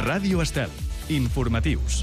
Ràdio Estel. Informatius.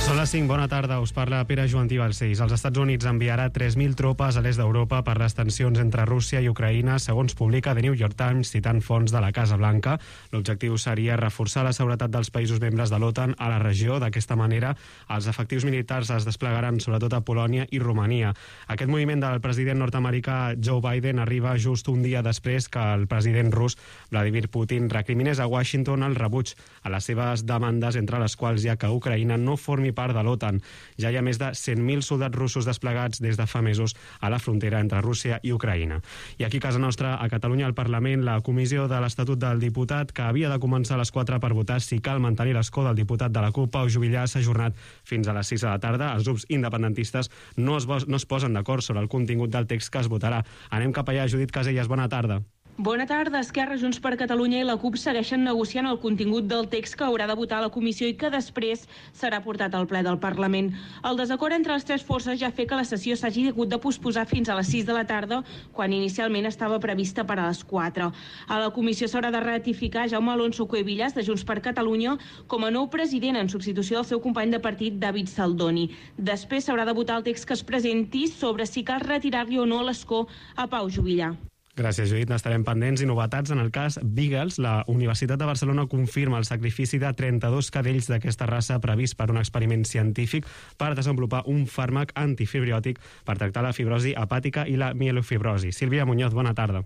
Són les 5, bona tarda, us parla Pere Joantí Balcells. Els Estats Units enviarà 3.000 tropes a l'est d'Europa per les tensions entre Rússia i Ucraïna, segons publica The New York Times, citant fonts de la Casa Blanca. L'objectiu seria reforçar la seguretat dels països membres de l'OTAN a la regió. D'aquesta manera, els efectius militars es desplegaran sobretot a Polònia i Romania. Aquest moviment del president nord-americà Joe Biden arriba just un dia després que el president rus Vladimir Putin recriminés a Washington el rebuig a les seves demandes, entre les quals hi ha que Ucraïna no formi part de l'OTAN. Ja hi ha més de 100.000 soldats russos desplegats des de fa mesos a la frontera entre Rússia i Ucraïna. I aquí a casa nostra, a Catalunya, al Parlament, la comissió de l'Estatut del Diputat, que havia de començar a les 4 per votar si cal mantenir l'escó del diputat de la CUP, Pau Juvillà, s'ha ajornat fins a les 6 de la tarda. Els grups independentistes no es posen d'acord sobre el contingut del text que es votarà. Anem cap allà. Judit Casellas, bona tarda. Bona tarda. Esquerra, Junts per Catalunya i la CUP segueixen negociant el contingut del text que haurà de votar la comissió i que després serà portat al ple del Parlament. El desacord entre les tres forces ja fa que la sessió s'hagi hagut de posposar fins a les 6 de la tarda, quan inicialment estava prevista per a les 4. A la comissió s'haurà de ratificar Jaume Alonso Cuevillas, de Junts per Catalunya, com a nou president en substitució del seu company de partit, David Saldoni. Després s'haurà de votar el text que es presenti sobre si cal retirar-li o no l'escó a Pau Juvillà. Gràcies, Judit. N'estarem pendents. I novetats en el cas Beagles. La Universitat de Barcelona confirma el sacrifici de 32 cadells d'aquesta raça previst per un experiment científic per desenvolupar un fàrmac antifibriòtic per tractar la fibrosi hepàtica i la mielofibrosi. Sílvia Muñoz, bona tarda.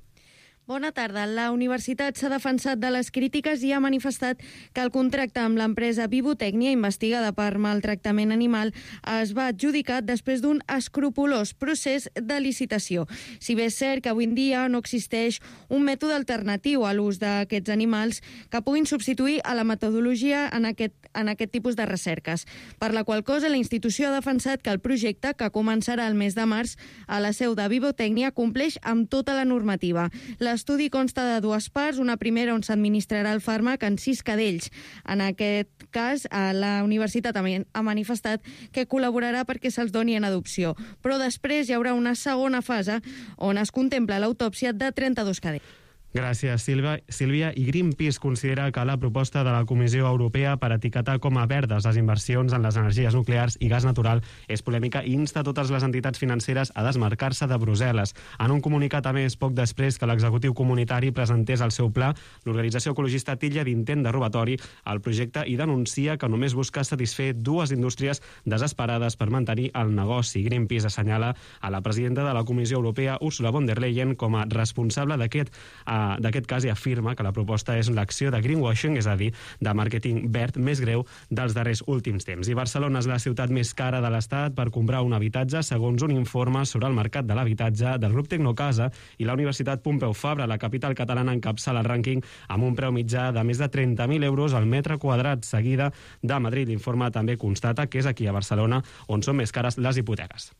Bona tarda. La universitat s'ha defensat de les crítiques i ha manifestat que el contracte amb l'empresa Vivotècnia, investigada per maltractament animal, es va adjudicar després d'un escrupolós procés de licitació. Si bé és cert que avui en dia no existeix un mètode alternatiu a l'ús d'aquests animals que puguin substituir a la metodologia en aquest tipus de recerques. Per la qual cosa, la institució ha defensat que el projecte, que començarà el mes de març a la seu de Vivotècnia, compleix amb tota la normativa. L'estudi consta de dues parts, una primera on s'administrarà el fàrmac en 6 cadells. En aquest cas, la universitat ha manifestat que col·laborarà perquè se'ls doni en adopció, però després hi haurà una segona fase on es contempla l'autòpsia de 32 cadells. Gràcies, Sílvia. I Greenpeace considera que la proposta de la Comissió Europea per etiquetar com a verdes les inversions en les energies nuclears i gas natural és polèmica i insta totes les entitats financeres a desmarcar-se de Brussel·les. En un comunicat, a més, poc després que l'executiu comunitari presentés el seu pla, l'organització ecologista titlla d'intent de robatori al projecte i denuncia que només busca satisfer dues indústries desesperades per mantenir el negoci. Greenpeace assenyala a la presidenta de la Comissió Europea, Ursula von der Leyen, com a responsable d'aquest cas i afirma que la proposta és l'acció de greenwashing, és a dir, de màrqueting verd més greu dels darrers últims temps. I Barcelona és la ciutat més cara de l'Estat per comprar un habitatge, segons un informe sobre el mercat de l'habitatge del grup Tecnocasa, i la Universitat Pompeu Fabra, la capital catalana, encapçala el rànquing amb un preu mitjà de més de 30.000 euros al metre quadrat, seguida de Madrid. L'informe també constata que és aquí a Barcelona on són més cares les hipoteques.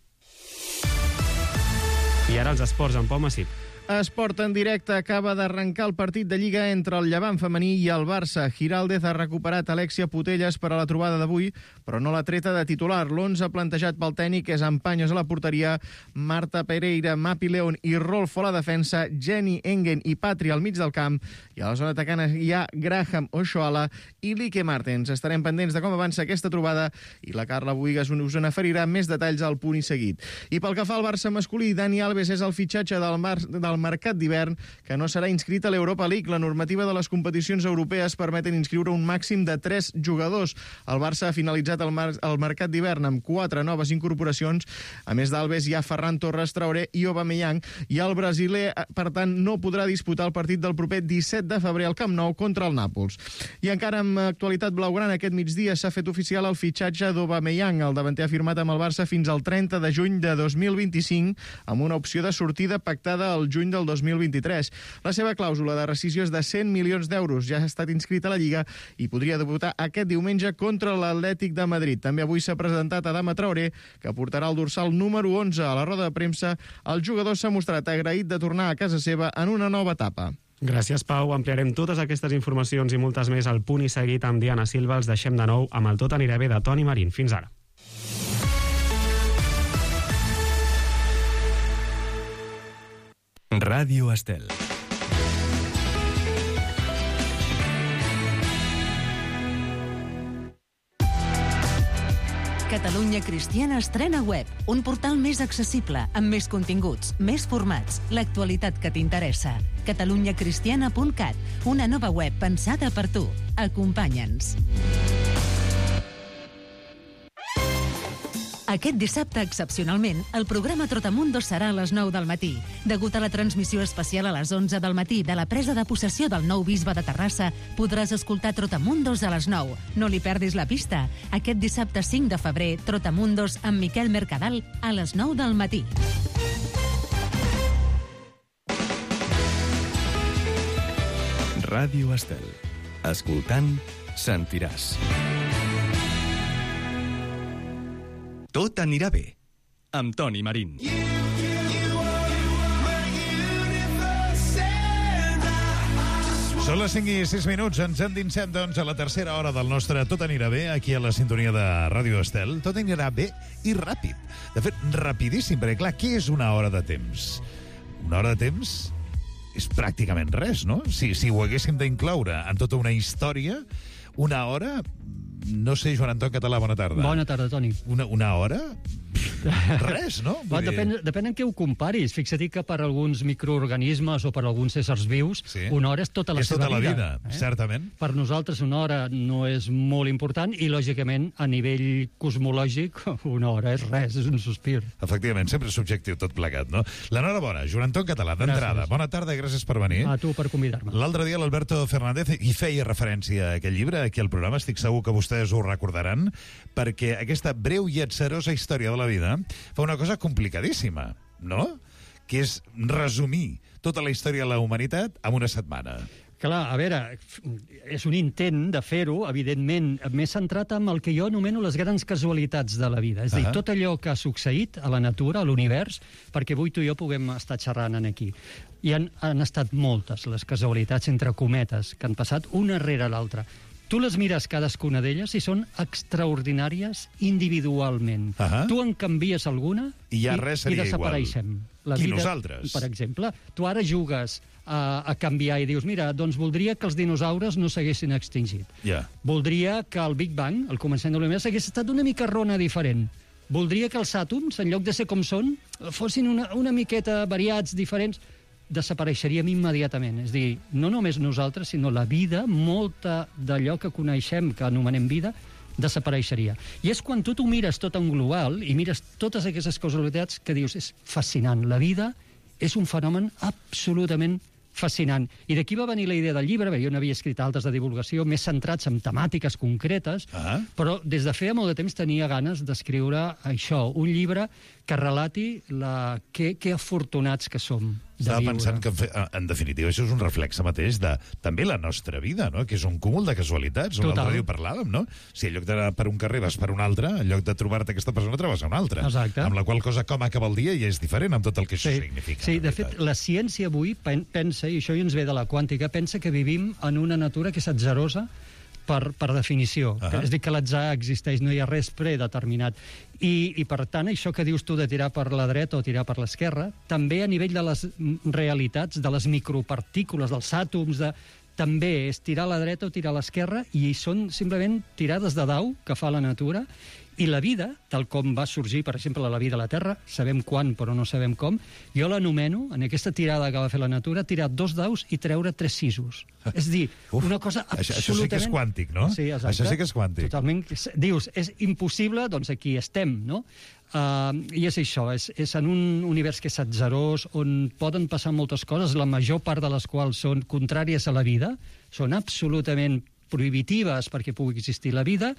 I ara els esports amb Pau Massip. Esport en directe. Acaba d'arrencar el partit de Lliga entre el Llevant femení i el Barça. Giraldez ha recuperat Alexia Putellas per a la trobada d'avui, però no l'ha treta de titular. L'11 plantejat pel tècnic és amb Paños a la porteria, Marta Pereira, Mapi León i Rolfo a la defensa, Jenny Engen i Patri al mig del camp, i a la zona atacant hi ha Graham Oshoala i Lique Martens. Estarem pendents de com avança aquesta trobada i la Carla Buigas us en oferirà més detalls al punt i seguit. I pel que fa al Barça masculí, Dani Alves és el fitxatge del mercat d'hivern, que no serà inscrit a l'Europa League. La normativa de les competicions europees permeten inscriure un màxim de 3 jugadors. El Barça ha finalitzat el mercat d'hivern amb 4 noves incorporacions. A més d'Alves hi ha Ferran Torres, Traoré i Aubameyang, i el brasiler, per tant, no podrà disputar el partit del proper 17 de febrer al Camp Nou contra el Nàpols. I encara amb actualitat blaugrana, aquest migdia s'ha fet oficial el fitxatge d'Aubameyang. El davanter ha firmat amb el Barça fins al 30 de juny de 2025, amb una opció de sortida pactada al juny del 2023. La seva clàusula de rescissió és de 100 milions d'euros. Ja ha estat inscrit a la Lliga i podria debutar aquest diumenge contra l'Atlètic de Madrid. També avui s'ha presentat Adama Traoré, que portarà el dorsal número 11. A la roda de premsa, el jugador s'ha mostrat agraït de tornar a casa seva en una nova etapa. Gràcies, Pau. Ampliarem totes aquestes informacions i moltes més al punt i seguit amb Diana Silva. Els deixem de nou amb el Tot anirà bé de Toni Marín. Fins ara. Ràdio Estel. Catalunya Cristiana estrena web, un portal més accessible, amb més continguts, més formats, l'actualitat que t'interessa. catalunyacristiana.cat, una nova web pensada per tu. Acompanya'ns. Aquest dissabte, excepcionalment, el programa Trotamundos serà a les 9 del matí. Degut a la transmissió especial a les 11 del matí de la presa de possessió del nou bisbe de Terrassa, podràs escoltar Trotamundos a les 9. No li perdis la pista. Aquest dissabte 5 de febrer, Trotamundos amb Miquel Mercadal a les 9 del matí. Ràdio Estel. Escoltant, sentiràs. Tot anirà bé, amb Toni Marín. Són les 5 i 6 minuts, ens endinsem, doncs, a la tercera hora del nostre Tot anirà bé, aquí a la sintonia de Ràdio Estel. Tot anirà bé i ràpid. De fet, rapidíssim, perquè, clar, què és una hora de temps? Una hora de temps és pràcticament res, no? Si ho haguéssim d'incloure en tota una història, una hora... No sé, Joan Anton Català, bona tarda. Bona tarda, Toni. Una hora? Res, no? Depèn en què ho comparis. Fixa't que per alguns microorganismes o per alguns éssers vius, una hora és tota la seva vida. És tota la vida, certament. Per nosaltres una hora no és molt important i, lògicament, a nivell cosmològic, una hora és res, és un sospir. Efectivament, sempre és subjectiu tot plegat, no? L'enhorabona, Joan Anton Català, d'entrada. Bona tarda i gràcies per venir. A tu per convidar-me. L'altre dia l'Alberto Fernández hi feia referència a aquest llibre, aquí al programa, estic segur que vostès ho recordaran, perquè aquesta breu i atzarosa història de la vida fa una cosa complicadíssima, no? Que és resumir tota la història de la humanitat en una setmana. Clar, a veure, és un intent de fer-ho, evidentment, més centrat en el que jo anomeno les grans casualitats de la vida. És a dir, tot allò que ha succeït a la natura, a l'univers, perquè avui tu i jo puguem estar xerrant aquí. I han estat moltes les casualitats, entre cometes, que han passat una rere l'altra. Tu les mires cadascuna d'elles i són extraordinàries individualment. Tu en canvies alguna i desapareixem. I nosaltres? Per exemple, tu ara jugues a canviar i dius, mira, doncs voldria que els dinosaures no s'haguessin extingit. Voldria que el Big Bang, el començament de l'univers, hagués estat una mica rona diferent. Voldria que els àtoms, en lloc de ser com són, fossin una miqueta variats, diferents. Desapareixeríem immediatament. És a dir, no només nosaltres, sinó la vida, molta d'allò que coneixem, que anomenem vida, desapareixeria. I és quan tu t'ho mires tot en global i mires totes aquestes causalitats que dius, és fascinant. La vida és un fenomen absolutament fascinant. I d'aquí va venir la idea del llibre, jo n'havia escrit altres de divulgació, més centrats en temàtiques concretes, però des de feia molt de temps tenia ganes d'escriure això, un llibre que relati que afortunats que som de Estava viure. pensant que, en definitiva, això és un reflexe mateix de també la nostra vida, no? Que és un cúmul de casualitats. Un altre dia ho parlàvem, no? Si en lloc d'anar per un carrer vas per un altre, en lloc de trobar-te aquesta persona trobes una altra. Exacte. Amb la qual cosa, com acaba el dia ja és diferent amb tot el que això significa. Sí, de fet, la ciència avui pensa, i això ja ens ve de la quàntica, pensa que vivim en una natura que és atzarosa per definició. És a dir, que l'atzar existeix, no hi ha res predeterminat. I per tant, això que dius tu de tirar per la dreta o tirar per l'esquerra, també a nivell de les realitats, de les micropartícules, dels àtoms, també és tirar a la dreta o tirar a l'esquerra, i són simplement tirades de dau que fa la natura. I la vida, tal com va sorgir, per exemple, la vida a la Terra, sabem quan, però no sabem com, jo l'anomeno, en aquesta tirada que va fer la natura, tirar 2 daus i treure 3 sisos. És dir, una cosa absolutament... Això sí que és quàntic, no? Sí, exacte. Això sí que és quàntic. Totalment. Dius, és impossible, doncs aquí estem, no? I és això, és en un univers que és atzarós, on poden passar moltes coses, la major part de les quals són contràries a la vida, són absolutament prohibitives perquè pugui existir la vida.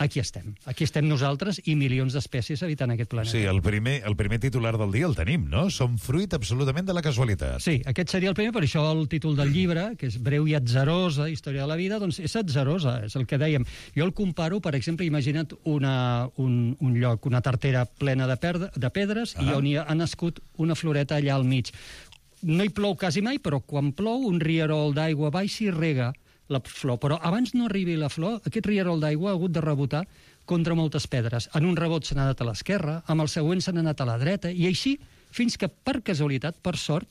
Aquí estem nosaltres i milions d'espècies habitant aquest planeta. Sí, el primer titular del dia el tenim, no? Som fruit absolutament de la casualitat. Sí, aquest seria el primer, per això el títol del llibre, que és breu i atzarosa, història de la vida, doncs és atzarosa, és el que dèiem. Jo el comparo, per exemple, imagina't un lloc, una tartera plena de pedres i on hi ha nascut una floreta allà al mig. No hi plou quasi mai, però quan plou un rierol d'aigua baixa i rega la flor, però abans no arribi la flor, aquest rierol d'aigua ha hagut de rebotar contra moltes pedres. En un rebot s'ha anat a l'esquerra, amb el següent s'ha anat a la dreta, i així, fins que per casualitat, per sort,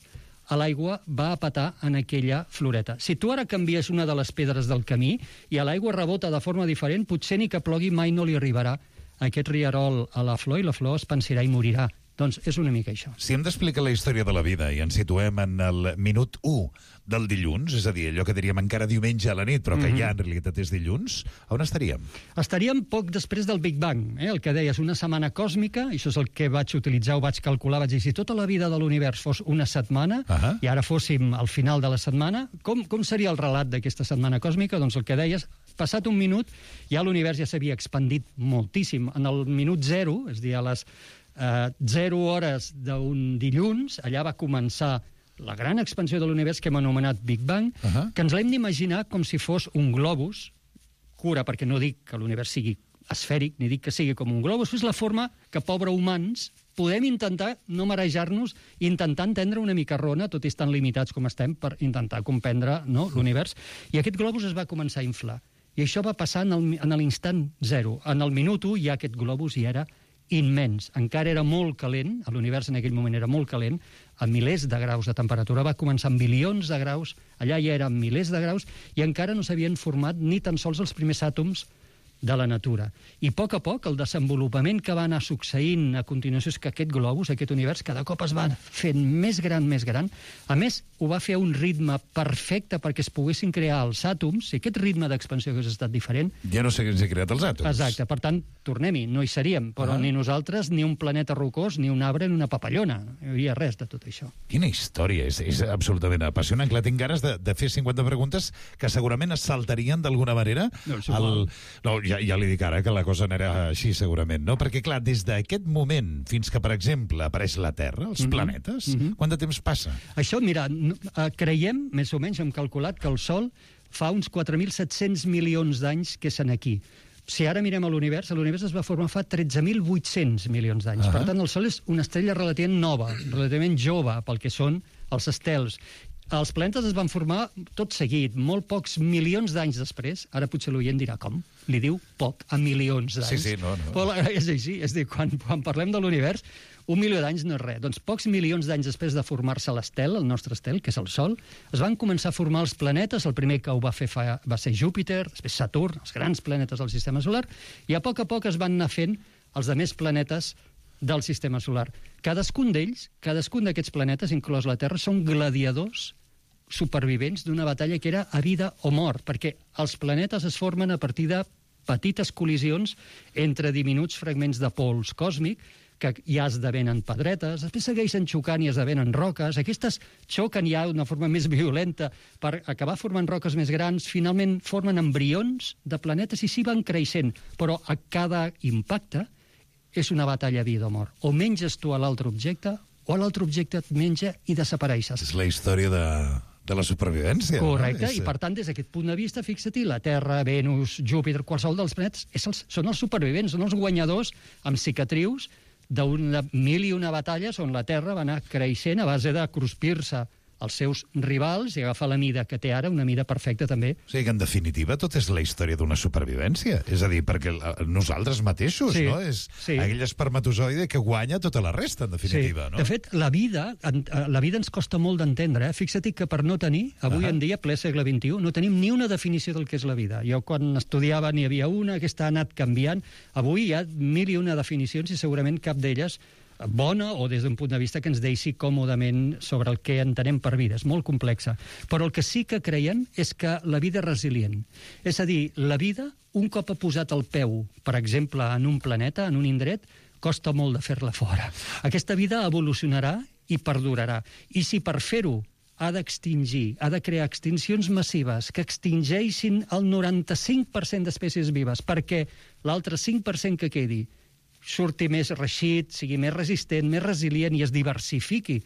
l'aigua va a petar en aquella floreta. Si tu ara canvies una de les pedres del camí i l'aigua rebota de forma diferent, potser ni que plogui mai no li arribarà aquest rierol a la flor i la flor es pensarà i morirà. Doncs és una mica això. Si hem d'explicar la història de la vida i ens situem en el minut 1 del dilluns, és a dir, allò que diríem encara diumenge a la nit, però que ja en realitat és dilluns, on estaríem? Estaríem poc després del Big Bang, el que deies, una setmana còsmica, i això és el que vaig utilitzar, ho vaig calcular, vaig dir, si tota la vida de l'univers fos una setmana, i ara fóssim al final de la setmana, com seria el relat d'aquesta setmana còsmica? Doncs el que deies, passat un minut, ja l'univers ja s'havia expandit moltíssim. En el minut 0, és a dir, a les 0 hores d'un dilluns, allà va començar la gran expansió de l'univers que hem anomenat Big Bang, que ens l'hem d'imaginar com si fos un globus, cura, perquè no dic que l'univers sigui esfèric, ni dic que sigui com un globus, és la forma que, pobre humans, podem intentar no marejar-nos i intentar entendre una mica rona, tot i estan limitats com estem, per intentar comprendre l'univers. I aquest globus es va començar a inflar. I això va passar en l'instant 0. En el minut 1 ja aquest globus hi era immens. Encara era molt calent, l'univers en aquell moment era molt calent, a milers de graus de temperatura, va començar amb bilions de graus, allà ja eren milers de graus, i encara no s'havien format ni tan sols els primers àtoms de la natura. I a poc, el desenvolupament que va anar succeint a continuació és que aquest globus, aquest univers, cada cop es va fent més gran. A més, ho va fer a un ritme perfecte perquè es poguessin crear els àtoms, i aquest ritme d'expansió hagués estat diferent. Ja no s'haguessin creat els àtoms. Exacte, per tant, tornem-hi, no hi seríem, però ni nosaltres, ni un planeta rocós, ni un arbre, ni una papallona. No hi hauria res de tot això. Quina història, és absolutament apassionant. Clar, tinc ganes de fer 50 preguntes que segurament es saltarien d'alguna manera. Ja li dic ara que la cosa anarà així, segurament, no? Perquè, clar, des d'aquest moment fins que, per exemple, apareix la Terra, els planetes, quant de temps passa? Això, mira, creiem, més o menys, hem calculat que el Sol fa uns 4.700 milions d'anys que és aquí. Si ara mirem a l'univers es va formar fa 13.800 milions d'anys. Per tant, el Sol és una estrella relativament nova, relativament jove, pel que són els estels. Els planetes es van formar tot seguit, molt pocs milions d'anys després. Ara potser l'oient dirà, com? Li diu poc a milions d'anys. Sí, no. Però és així, és a dir, quan parlem de l'univers, 1 milió d'anys no és res. Doncs pocs milions d'anys després de formar-se l'estel, el nostre estel, que és el Sol, es van començar a formar els planetes. El primer que ho va fer va ser Júpiter, després Saturn, els grans planetes del sistema solar, i a poc es van anar fent els altres planetes del sistema solar. Cadascun d'aquests planetes, inclòs la Terra, són gladiadors supervivents d'una batalla que era a vida o mort, perquè els planetes es formen a partir de petites col·lisions entre diminuts fragments de pols còsmic que ja esdevenen pedretes, després segueixen xocant i esdevenen roques, aquestes xoquen ja d'una forma més violenta per acabar formant roques més grans, finalment formen embrions de planetes i s'hi van creixent, però a cada impacte és una batalla vida o mort. O menges tu a l'altre objecte, o l'altre objecte et menja i desapareixes. És la història de la supervivència. Correcte, i per tant, des d'aquest punt de vista, fixa-t'hi, la Terra, Venus, Júpiter, qualsevol dels planetes, són els supervivents, són els guanyadors amb cicatrius d'una mil i una batalles on la Terra va anar creixent a base de cruspir-se els seus rivals i agafar la mida que té ara, una mida perfecta també. O sigui que, en definitiva, tot és la història d'una supervivència. És a dir, perquè nosaltres mateixos, no? És aquell espermatozoide que guanya tota la resta, en definitiva, no? De fet, la vida ens costa molt d'entendre. Fixa't que per no tenir, avui en dia, ple segle XXI, no tenim ni una definició del que és la vida. Jo, quan estudiava, n'hi havia una, aquesta ha anat canviant. Avui hi ha 1.001 definicions i segurament cap d'elles bona o des d'un punt de vista que ens deixi còmodament sobre el que entenem per vida. És molt complexa. Però el que sí que creiem és que la vida és resilient. És a dir, la vida, un cop ha posat el peu, per exemple, en un planeta, en un indret, costa molt de fer-la fora. Aquesta vida evolucionarà i perdurarà. I si per fer-ho ha d'extingir, ha de crear extincions massives que extingeixin el 95% d'espècies vives perquè l'altre 5% que quedi surti més reixit, sigui més resistent, més resilient i es diversifiqui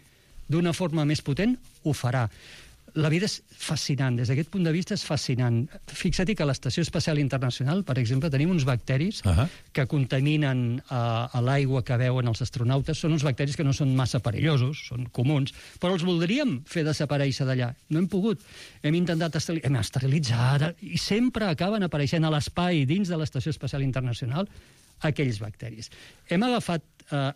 d'una forma més potent, ho farà. La vida és fascinant, des d'aquest punt de vista és fascinant. Fixa't que a l'Estació Espacial Internacional, per exemple, tenim uns bacteris que contaminen a l'aigua que beuen els astronautes. Són uns bacteris que no són massa perillosos, són comuns, però els voldríem fer desaparèixer d'allà. No hem pogut. Hem intentat esterilitzar, i sempre acaben apareixent a l'espai dins de l'Estació Espacial Internacional aquells bacteris. Hem agafat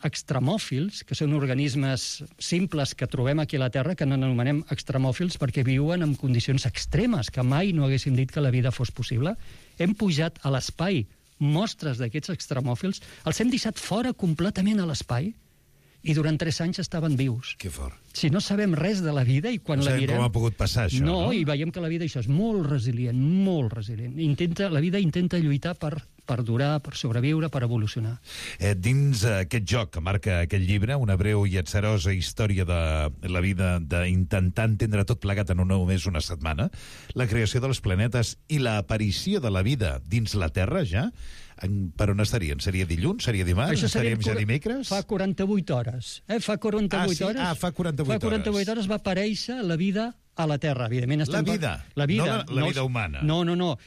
extremòfils, que són organismes simples que trobem aquí a la Terra, que n'anomenem extremòfils perquè viuen en condicions extremes, que mai no haguéssim dit que la vida fos possible. Hem pujat a l'espai mostres d'aquests extremòfils, els hem deixat fora completament a l'espai i durant 3 anys estaven vius. Que fort. Si no sabem res de la vida i quan no la mirem... com ha pogut passar això, no? I veiem que la vida això és molt resilient, molt resilient. La vida intenta lluitar per durar, per sobreviure, per evolucionar. Dins aquest joc que marca aquest llibre, una breu i atzerosa història de la vida d'intentar entendre tot plegat en només una setmana, la creació dels planetes i l'aparició de la vida dins la Terra, ja, per on estarien? Seria dilluns? Seria dimarts? Estaríem ja dimecres? Fa 48 hores. Fa 48 hores. Fa 48 hores va aparèixer la vida a la Terra, evidentment. La vida? La vida. No la vida humana? No.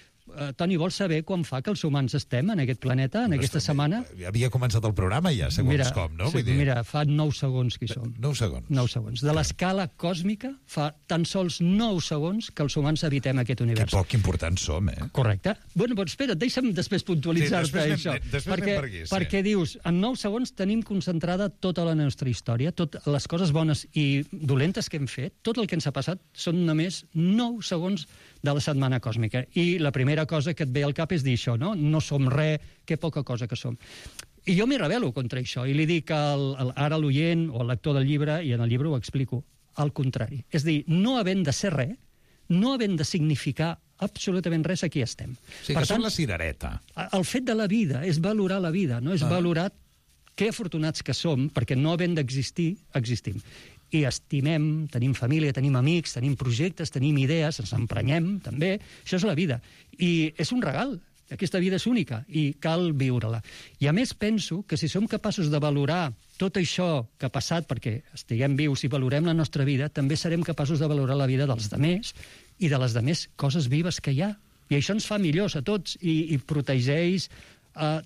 Toni, vols saber quan fa que els humans estem en aquest planeta, en aquesta setmana? Havia començat el programa ja, segons com, no? Mira, fa 9 segons que hi som. 9 segons. 9 segons. De l'escala còsmica, fa tan sols 9 segons que els humans habitem aquest univers. Que poc importants som, eh? Correcte. Bueno, doncs espera, deixa'm després puntualitzar-te això. Perquè dius, en 9 segons tenim concentrada tota la nostra història, totes les coses bones i dolentes que hem fet, tot el que ens ha passat, són només 9 segons de la setmana còsmica. I la primera cosa que et ve al cap és dir això, no? No som res, que poca cosa que som. I jo m'hi rebel·lo contra això, i li dic ara a l'oient o al lector del llibre, i en el llibre ho explico, al contrari. És dir, no havent de ser res, no havent de significar absolutament res, aquí estem. Sí, que som la cirereta. El fet de la vida és valorar la vida, no? És valorar que afortunats que som, perquè no havent d'existir, existim. I estimem, tenim família, tenim amics, tenim projectes, tenim idees, ens emprenyem, també. Això és la vida. I és un regal. Aquesta vida és única i cal viure-la. I a més penso que si som capaços de valorar tot això que ha passat perquè estiguem vius i valorem la nostra vida, també serem capaços de valorar la vida dels demés i de les demés coses vives que hi ha. I això ens fa millors a tots i protegeix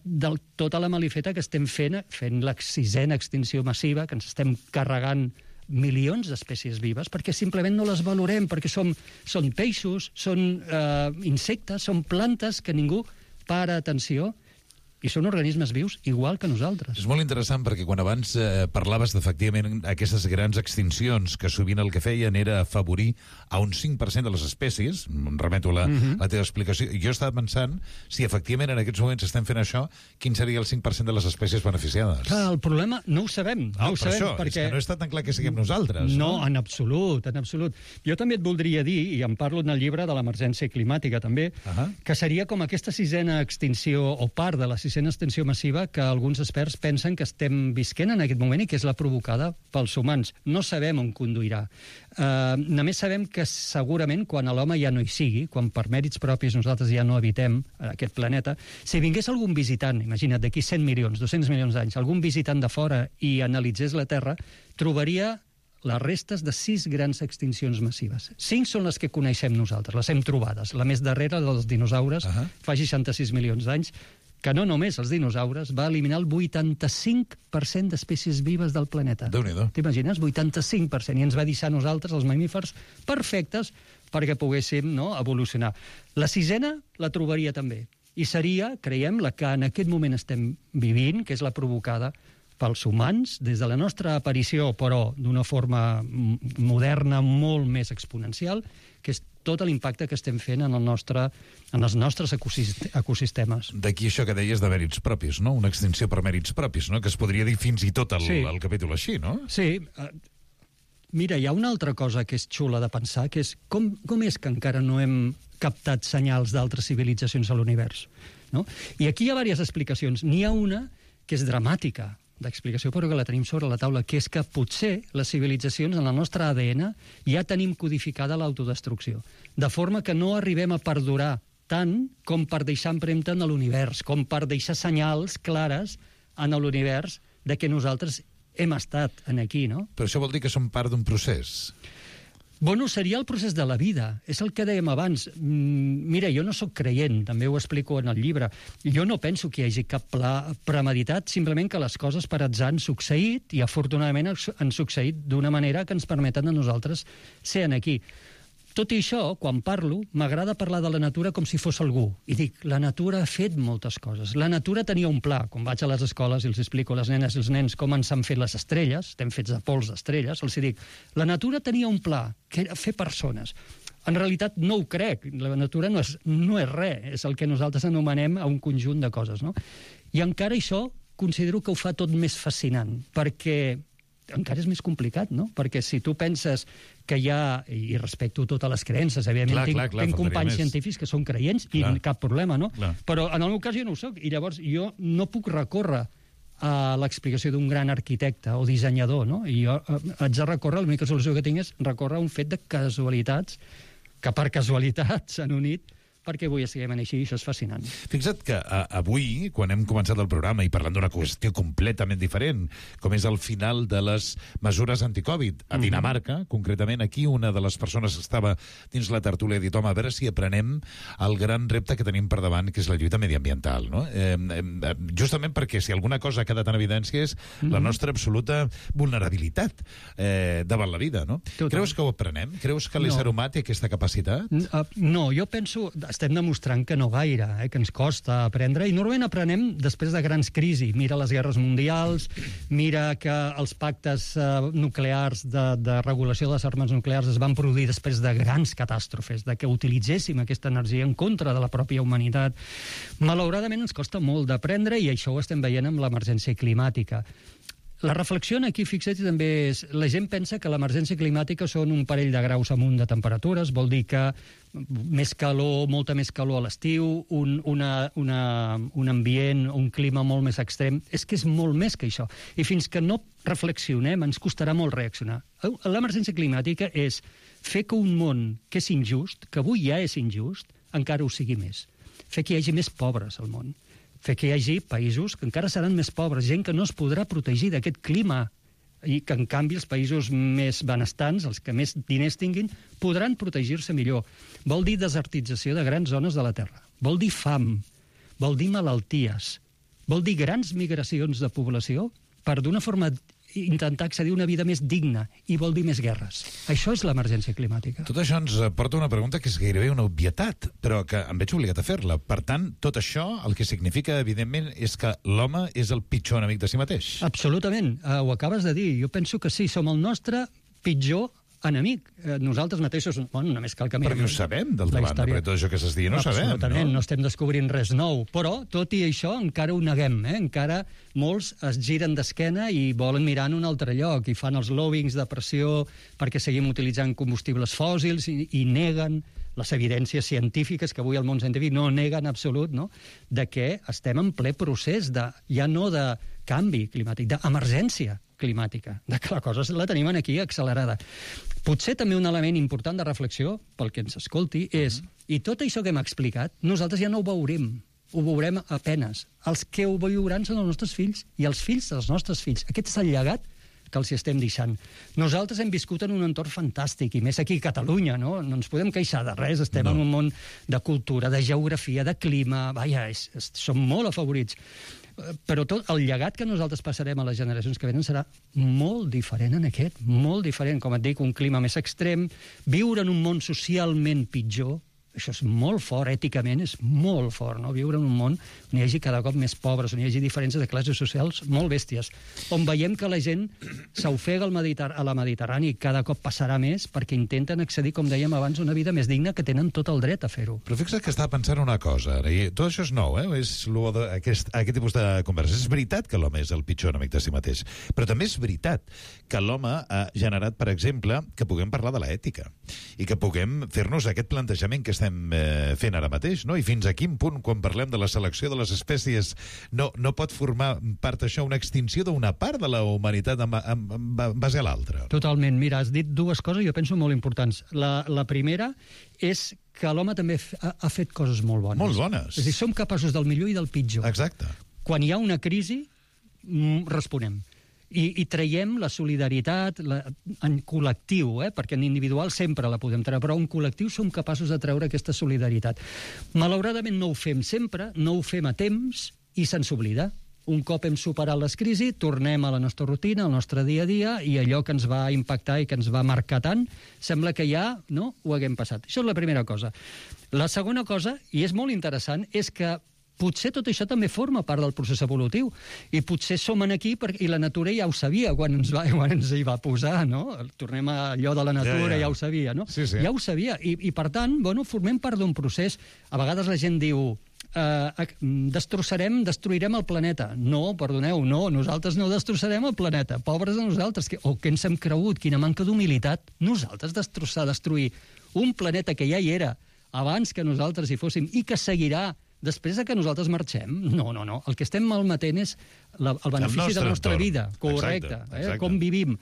de tota la malifeta que estem fent la 6ª extinció massiva, que ens estem carregant milions d'espècies vives, perquè simplement no les valorem, perquè són peixos, són insectes, són plantes que ningú para atenció, i són organismes vius igual que nosaltres. És molt interessant perquè quan abans parlaves d'efectivament aquestes grans extincions que sovint el que feien era afavorir a un 5% de les espècies, em remeto a la teva explicació, i jo estava pensant si efectivament en aquests moments estem fent això, quin seria el 5% de les espècies beneficiades? Clar, el problema no ho sabem. No ho sabem, això, perquè... és que no és tan clar que siguem nosaltres. No, en absolut, en absolut. Jo també et voldria dir, i en parlo en el llibre de l'emergència climàtica també, que seria com aquesta 6ª extinció o part de la 6ª extinció massiva que alguns experts pensen que estem visquent en aquest moment i que és la provocada pels humans. No sabem on conduirà. Només sabem que segurament quan l'home ja no hi sigui, quan per mèrits propis nosaltres ja no habitem aquest planeta, si vingués algun visitant, imagina't, d'aquí 100 milions, 200 milions d'anys, algun visitant de fora i analitzés la Terra, trobaria les restes de 6 grans extincions massives. 5 són les que coneixem nosaltres, les hem trobades. La més darrera dels dinosaures, fa 66 milions d'anys, que no només els dinosaures, va eliminar el 85% d'espècies vives del planeta. Déu-n'hi-do. T'imagines? 85%. I ens va deixar a nosaltres, els mamífers, perfectes perquè poguéssim evolucionar. La 6ª la trobaria també. I seria, creiem, la que en aquest moment estem vivint, que és la provocada pels humans, des de la nostra aparició, però d'una forma moderna molt més exponencial, que és tot l'impacte que estem fent en els nostres ecosistemes. D'aquí això que deies de mèrits propis, no? Una extinció per mèrits propis, no? Que es podria dir fins i tot el capítol així, no? Sí. Mira, hi ha una altra cosa que és xula de pensar, que és com és que encara no hem captat senyals d'altres civilitzacions a l'univers, no? I aquí hi ha diverses explicacions. N'hi ha una que és dramàtica, d'explicació, però que la tenim sobre la taula, que és que potser les civilitzacions en el nostre ADN ja tenim codificada l'autodestrucció, de forma que no arribem a perdurar tant com per deixar empremta en l'univers, com per deixar senyals clares en l'univers de que nosaltres hem estat aquí, no? Però això vol dir que som part d'un procés. Bueno, seria el procés de la vida. És el que dèiem abans. Mira, jo no sóc creient, també ho explico en el llibre. Jo no penso que hi hagi cap pla premeditat, simplement que les coses per atzar han succeït i afortunadament han succeït d'una manera que ens permeten a nosaltres ser aquí. Tot i això, quan parlo, m'agrada parlar de la natura com si fos algú. I dic, la natura ha fet moltes coses. La natura tenia un pla. Quan vaig a les escoles i els explico a les nenes i els nens com ens han fet les estrelles, estem fets de pols d'estrelles, els dic, la natura tenia un pla, que era fer persones. En realitat no ho crec. La natura no és res, és el que nosaltres anomenem un conjunt de coses, no? I encara això considero que ho fa tot més fascinant, perquè encara és més complicat, no? Perquè si tu penses que hi ha, i respecto totes les creences, evidentment tinc companys científics que són creients i cap problema, no? Però en el meu cas jo no ho soc, i llavors jo no puc recórrer a l'explicació d'un gran arquitecte o dissenyador, no? I jo haig de recórrer, l'única solució que tinc és recórrer a un fet de casualitats que per casualitat s'han unit perquè avui estiguem així, i això és fascinant. Fixa't que avui, quan hem començat el programa i parlant d'una qüestió completament diferent, com és el final de les mesures anticovid a Dinamarca, concretament aquí una de les persones que estava dins la tertúlia ha dit, home, a veure si aprenem el gran repte que tenim per davant, que és la lluita mediambiental, no? Justament perquè si alguna cosa ha quedat en evidència és la nostra absoluta vulnerabilitat davant la vida, no? Creus que ho aprenem? Creus que l'ésser humà té aquesta capacitat? No, jo penso... Estem demostrant que no gaire, que ens costa aprendre, i normalment aprenem després de grans crisis. Mira les guerres mundials, mira que els pactes nuclears de regulació de les armes nuclears es van produir després de grans catàstrofes, de que utilitzéssim aquesta energia en contra de la pròpia humanitat. Malauradament ens costa molt d'aprendre, i això ho estem veient amb l'emergència climàtica. La reflexió aquí, fixa't, també és... La gent pensa que l'emergència climàtica són un parell de graus amunt de temperatures, vol dir que més calor, molta més calor a l'estiu, un ambient, un clima molt més extrem. És que és molt més que això. I fins que no reflexionem, ens costarà molt reaccionar. L'emergència climàtica és fer que un món que és injust, que avui ja és injust, encara ho sigui més. Fer que hi hagi més pobres al món. Fer que hi hagi països que encara seran més pobres, gent que no es podrà protegir d'aquest clima, i que, en canvi, els països més benestants, els que més diners tinguin, podran protegir-se millor. Vol dir desertització de grans zones de la Terra. Vol dir fam. Vol dir malalties. Vol dir grans migracions de població per, d'una forma, intentar accedir a una vida més digna, i vol dir més guerres. Això és l'emergència climàtica. Tot això ens porta una pregunta que és gairebé una obvietat, però que em veig obligat a fer-la. Per tant, tot això el que significa, evidentment, és que l'home és el pitjor enemic de si mateix. Absolutament. Ho acabes de dir. Jo penso que sí, som el nostre pitjor enemic. Nosaltres mateixos, bueno, només cal que mirem... Perquè ho sabem, d'altra banda, perquè tot això que s'està dient ho sabem, no? Absolutament, no estem descobrint res nou. Però, tot i això, encara ho neguem, Encara molts es giren d'esquena i volen mirar en un altre lloc, i fan els lobbyings de pressió perquè seguim utilitzant combustibles fòssils i neguen les evidències científiques, que avui el món científic no nega en absolut, no?, de que estem en ple procés de, ja no de canvi climàtic, d'emergència climàtica, de que la cosa la tenim aquí accelerada. Potser també un element important de reflexió, pel que ens escolti, és, i tot això que hem explicat, nosaltres ja no ho veurem a penes. Els que ho viuran són els nostres fills i els fills dels nostres fills. Aquest és el llegat que els estem deixant. Nosaltres hem viscut en un entorn fantàstic, i més aquí a Catalunya, no ens podem queixar de res, estem en un món de cultura, de geografia, de clima, som molt afavorits. Però tot el llegat que nosaltres passarem a les generacions que venen serà molt diferent en aquest, molt diferent. Com et dic, un clima més extrem, viure en un món socialment pitjor, això és molt fort, èticament és molt fort, no? Viure en un món on hi hagi cada cop més pobres, on hi hagi diferències de classes socials molt bèsties, on veiem que la gent s'ofega a la Mediterrània i cada cop passarà més perquè intenten accedir, com dèiem abans, a una vida més digna, que tenen tot el dret a fer-ho. Però fixa't que estava pensant una cosa, i tot això és nou, és aquest tipus de conversa. És veritat que l'home és el pitjor enemic de si mateix, però també és veritat que l'home ha generat, per exemple, que puguem parlar de l'ètica i que puguem fer-nos aquest plantejament que estem fent ara mateix, no? I fins a quin punt, quan parlem de la selecció de les espècies, no pot formar part això una extinció d'una part de la humanitat en base a l'altra. Totalment. Mira, has dit dues coses, jo penso, molt importants. La primera és que l'home també ha fet coses molt bones. Molt bones. És a dir, som capaços del millor i del pitjor. Exacte. Quan hi ha una crisi, responem. I traiem la solidaritat en col·lectiu, perquè en individual sempre la podem treure, però en col·lectiu som capaços de treure aquesta solidaritat. Malauradament no ho fem sempre, no ho fem a temps, i se'ns oblida. Un cop hem superat les crisis, tornem a la nostra rutina, al nostre dia a dia, i allò que ens va impactar i que ens va marcar tant, sembla que ja ho haguem passat. Això és la primera cosa. La segona cosa, i és molt interessant, és que potser tot això també forma part del procés evolutiu. I potser som aquí, i la natura ja ho sabia quan ens hi va posar, no? Tornem a allò de la natura, ja ho sabia, no? Sí. Ja ho sabia. I per tant, formem part d'un procés. A vegades la gent diu destruirem el planeta. No, perdoneu, no, nosaltres no destrossarem el planeta. Pobres de nosaltres. Què ens hem cregut? Quina manca d'humilitat. Nosaltres destruir un planeta que ja hi era abans que nosaltres hi fóssim i que seguirà després que nosaltres marxem. No. El que estem malmetent és el benefici de la nostra vida. Correcte. Exacte. Com vivim.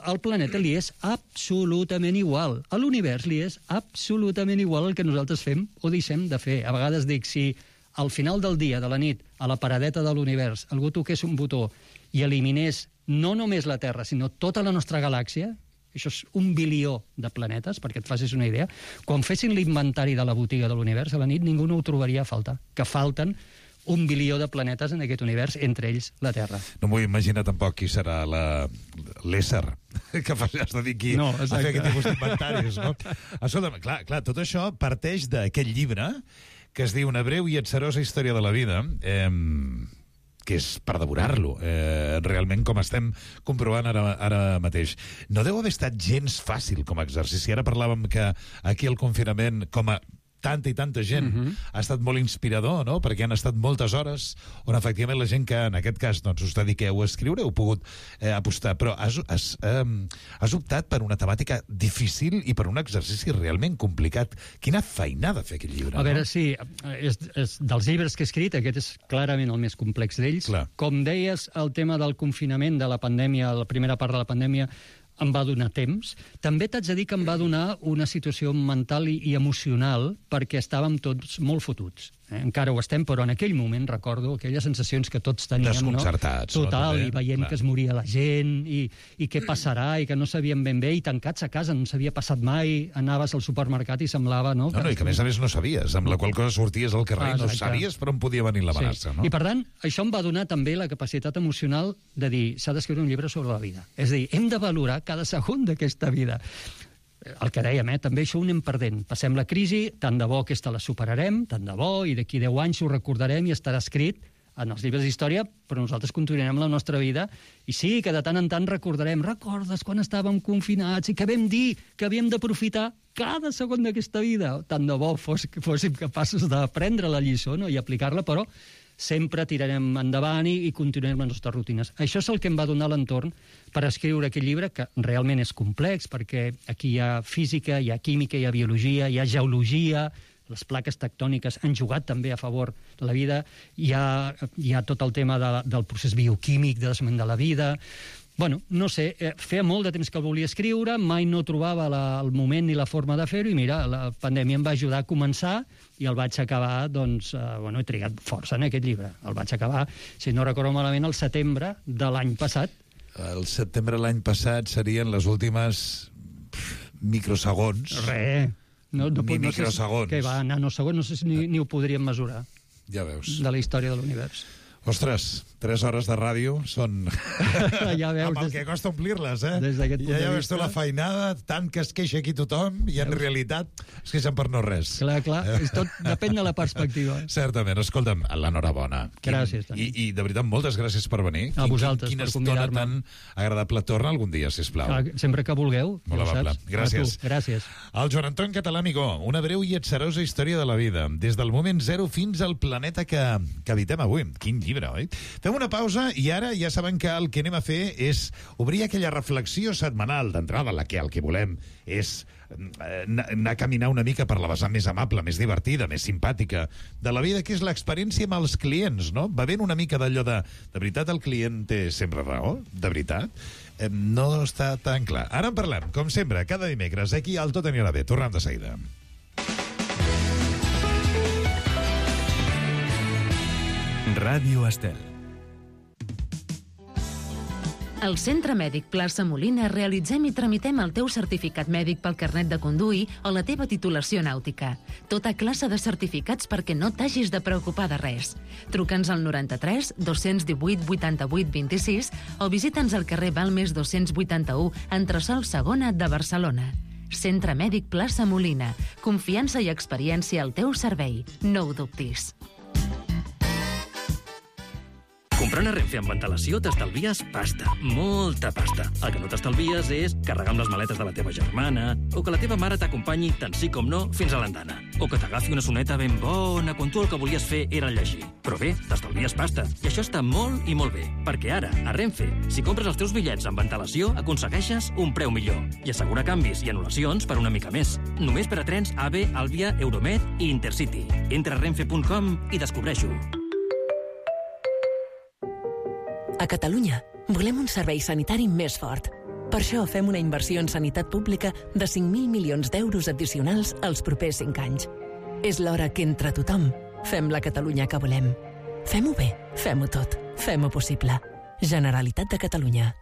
Al planeta li és absolutament igual. A l'univers li és absolutament igual el que nosaltres fem o deixem de fer. A vegades dic, si al final del dia, de la nit, a la paradeta de l'univers, algú toqués un botó i eliminés no només la Terra, sinó tota la nostra galàxia, això és 1 bilió de planetes, perquè et facis una idea, quan fessin l'inventari de la botiga de l'univers, a la nit ningú no ho trobaria a faltar, que falten 1 bilió de planetes en aquest univers, entre ells la Terra. No m'ho imagina tampoc qui serà l'ésser que has de dir aquí a fer aquest tipus d'inventaris, no? Escolta'm, clar, tot això parteix d'aquest llibre que es diu Una breu i atzarosa història de la vida, que és per devorar-lo, realment, com estem comprovant ara mateix. No deu haver estat gens fàcil com a exercici. Ara parlàvem que aquí el confinament, com a tanta i tanta gent, ha estat molt inspirador, no? Perquè han estat moltes hores on efectivament la gent que en aquest cas doncs, us dediqueu a escriure heu pogut apostar, però has optat per una temàtica difícil i per un exercici realment complicat. Quina feinada fer aquest llibre. A veure, sí, és dels llibres que he escrit, aquest és clarament el més complex d'ells. Com deies, el tema del confinament, de la pandèmia, la primera part de la pandèmia, em va donar temps. També t'haig de dir que em va donar una situació mental i emocional perquè estàvem tots molt fotuts. Encara ho estem, però en aquell moment recordo aquelles sensacions que tots teníem, desconcertats, no? Total, no? I veient que es moria la gent, i què passarà, i que no sabíem ben bé, i tancats a casa, no s'havia passat mai, anaves al supermercat i semblava, no? I que a més no sabies, amb la qual cosa sorties al carrer i no sabies per on podia venir l'amenaça, no? I per tant, això em va donar també la capacitat emocional de dir, s'ha d'escriure un llibre sobre la vida. És a dir, hem de valorar cada segon d'aquesta vida. El que dèiem, també això ho anem perdent. Passem la crisi, tant de bo aquesta la superarem, tant de bo, i d'aquí 10 anys ho recordarem i estarà escrit en els llibres d'història, però nosaltres continuarem la nostra vida. I sí, que de tant en tant recordarem, recordes quan estàvem confinats i que vam dir que havíem d'aprofitar cada segon d'aquesta vida. Tant de bo fóssim capaços d'aprendre la lliçó, no? I aplicar-la, però sempre tirarem endavant i continuarem les nostres rutines. Això és el que em va donar l'entorn per escriure aquest llibre, que realment és complex, perquè aquí hi ha física, hi ha química, hi ha biologia, hi ha geologia, les plaques tectòniques han jugat també a favor de la vida, hi ha tot el tema del procés bioquímic de desment de la vida. Bueno, no sé, feia molt de temps que el volia escriure, mai no trobava el moment ni la forma de fer-ho, i mira, la pandèmia em va ajudar a començar i el vaig acabar, doncs, he trigat força en aquest llibre. El vaig acabar, si no recordo malament, el setembre de l'any passat. El setembre de l'any passat serien les últimes microsegons. Microsegons. Que va, nanosegons, no sé si ni ho podríem mesurar. Ja veus. De la història de l'univers. Ostres, 3 hores de ràdio són... Ja veus, amb el que costa omplir-les, eh? Des d'aquest punt de vista. Ja veus tu la feinada, tant que es queixa aquí tothom, i en realitat es queixen per no res. Clar, tot depèn de la perspectiva. Certament, escolta'm, l'enhorabona. Gràcies, Toni. I de veritat, moltes gràcies per venir. A vosaltres, per convidar-me. Quina estona tan agradable. Torna algun dia, sisplau. Sempre que vulgueu. Molt amable. Gràcies. Gràcies. El Joan Anton Català Amigó, una breu i atzarosa història de la vida, des del moment zero fins al planeta que habitem avui. Quin llibre, oi? Fem una pausa i ara ja saben que el que anem a fer és obrir aquella reflexió setmanal d'entrada, la que el que volem és anar a caminar una mica per la vessant més amable, més divertida, més simpàtica de la vida, que és l'experiència amb els clients, no? Va ben una mica d'allò de veritat el client té sempre raó? De veritat? No està tan clar. Ara en parlem, com sempre, cada dimecres, aquí al Tot anirà bé. Tornem de seguida. Ràdio Estel. Al Centre Mèdic Plaça Molina realitzem i tramitem el teu certificat mèdic pel carnet de conduir o la teva titulació nàutica. Tota classe de certificats perquè no t'hagis de preocupar de res. Truca'ns al 93 218 88 26 o visita'ns al carrer Balmes 281, entresòl Segona de Barcelona. Centre Mèdic Plaça Molina. Confiança i experiència al teu servei. No ho dubtis. Comprant a Renfe amb antelació t'estalvies pasta, molta pasta. El que no t'estalvies és carregar amb les maletes de la teva germana, o que la teva mare t'acompanyi tant sí com no fins a l'andana, o que t'agafi una soneta ben bona quan tu el que volies fer era llegir. Però bé, t'estalvies pasta, i això està molt i molt bé, perquè ara, a Renfe, si compres els teus bitllets amb antelació, aconsegueixes un preu millor i assegura canvis i anul·lacions per una mica més. Només per a trens AVE, Alvia, Euromed i Intercity. Entra a renfe.com i descobreix-ho. A Catalunya volem un servei sanitari més fort. Per això fem una inversió en sanitat pública de 5.000 milions d'euros addicionals els propers 5 anys. És l'hora que entre tothom fem la Catalunya que volem. Fem-ho bé, fem-ho tot, fem-ho possible. Generalitat de Catalunya.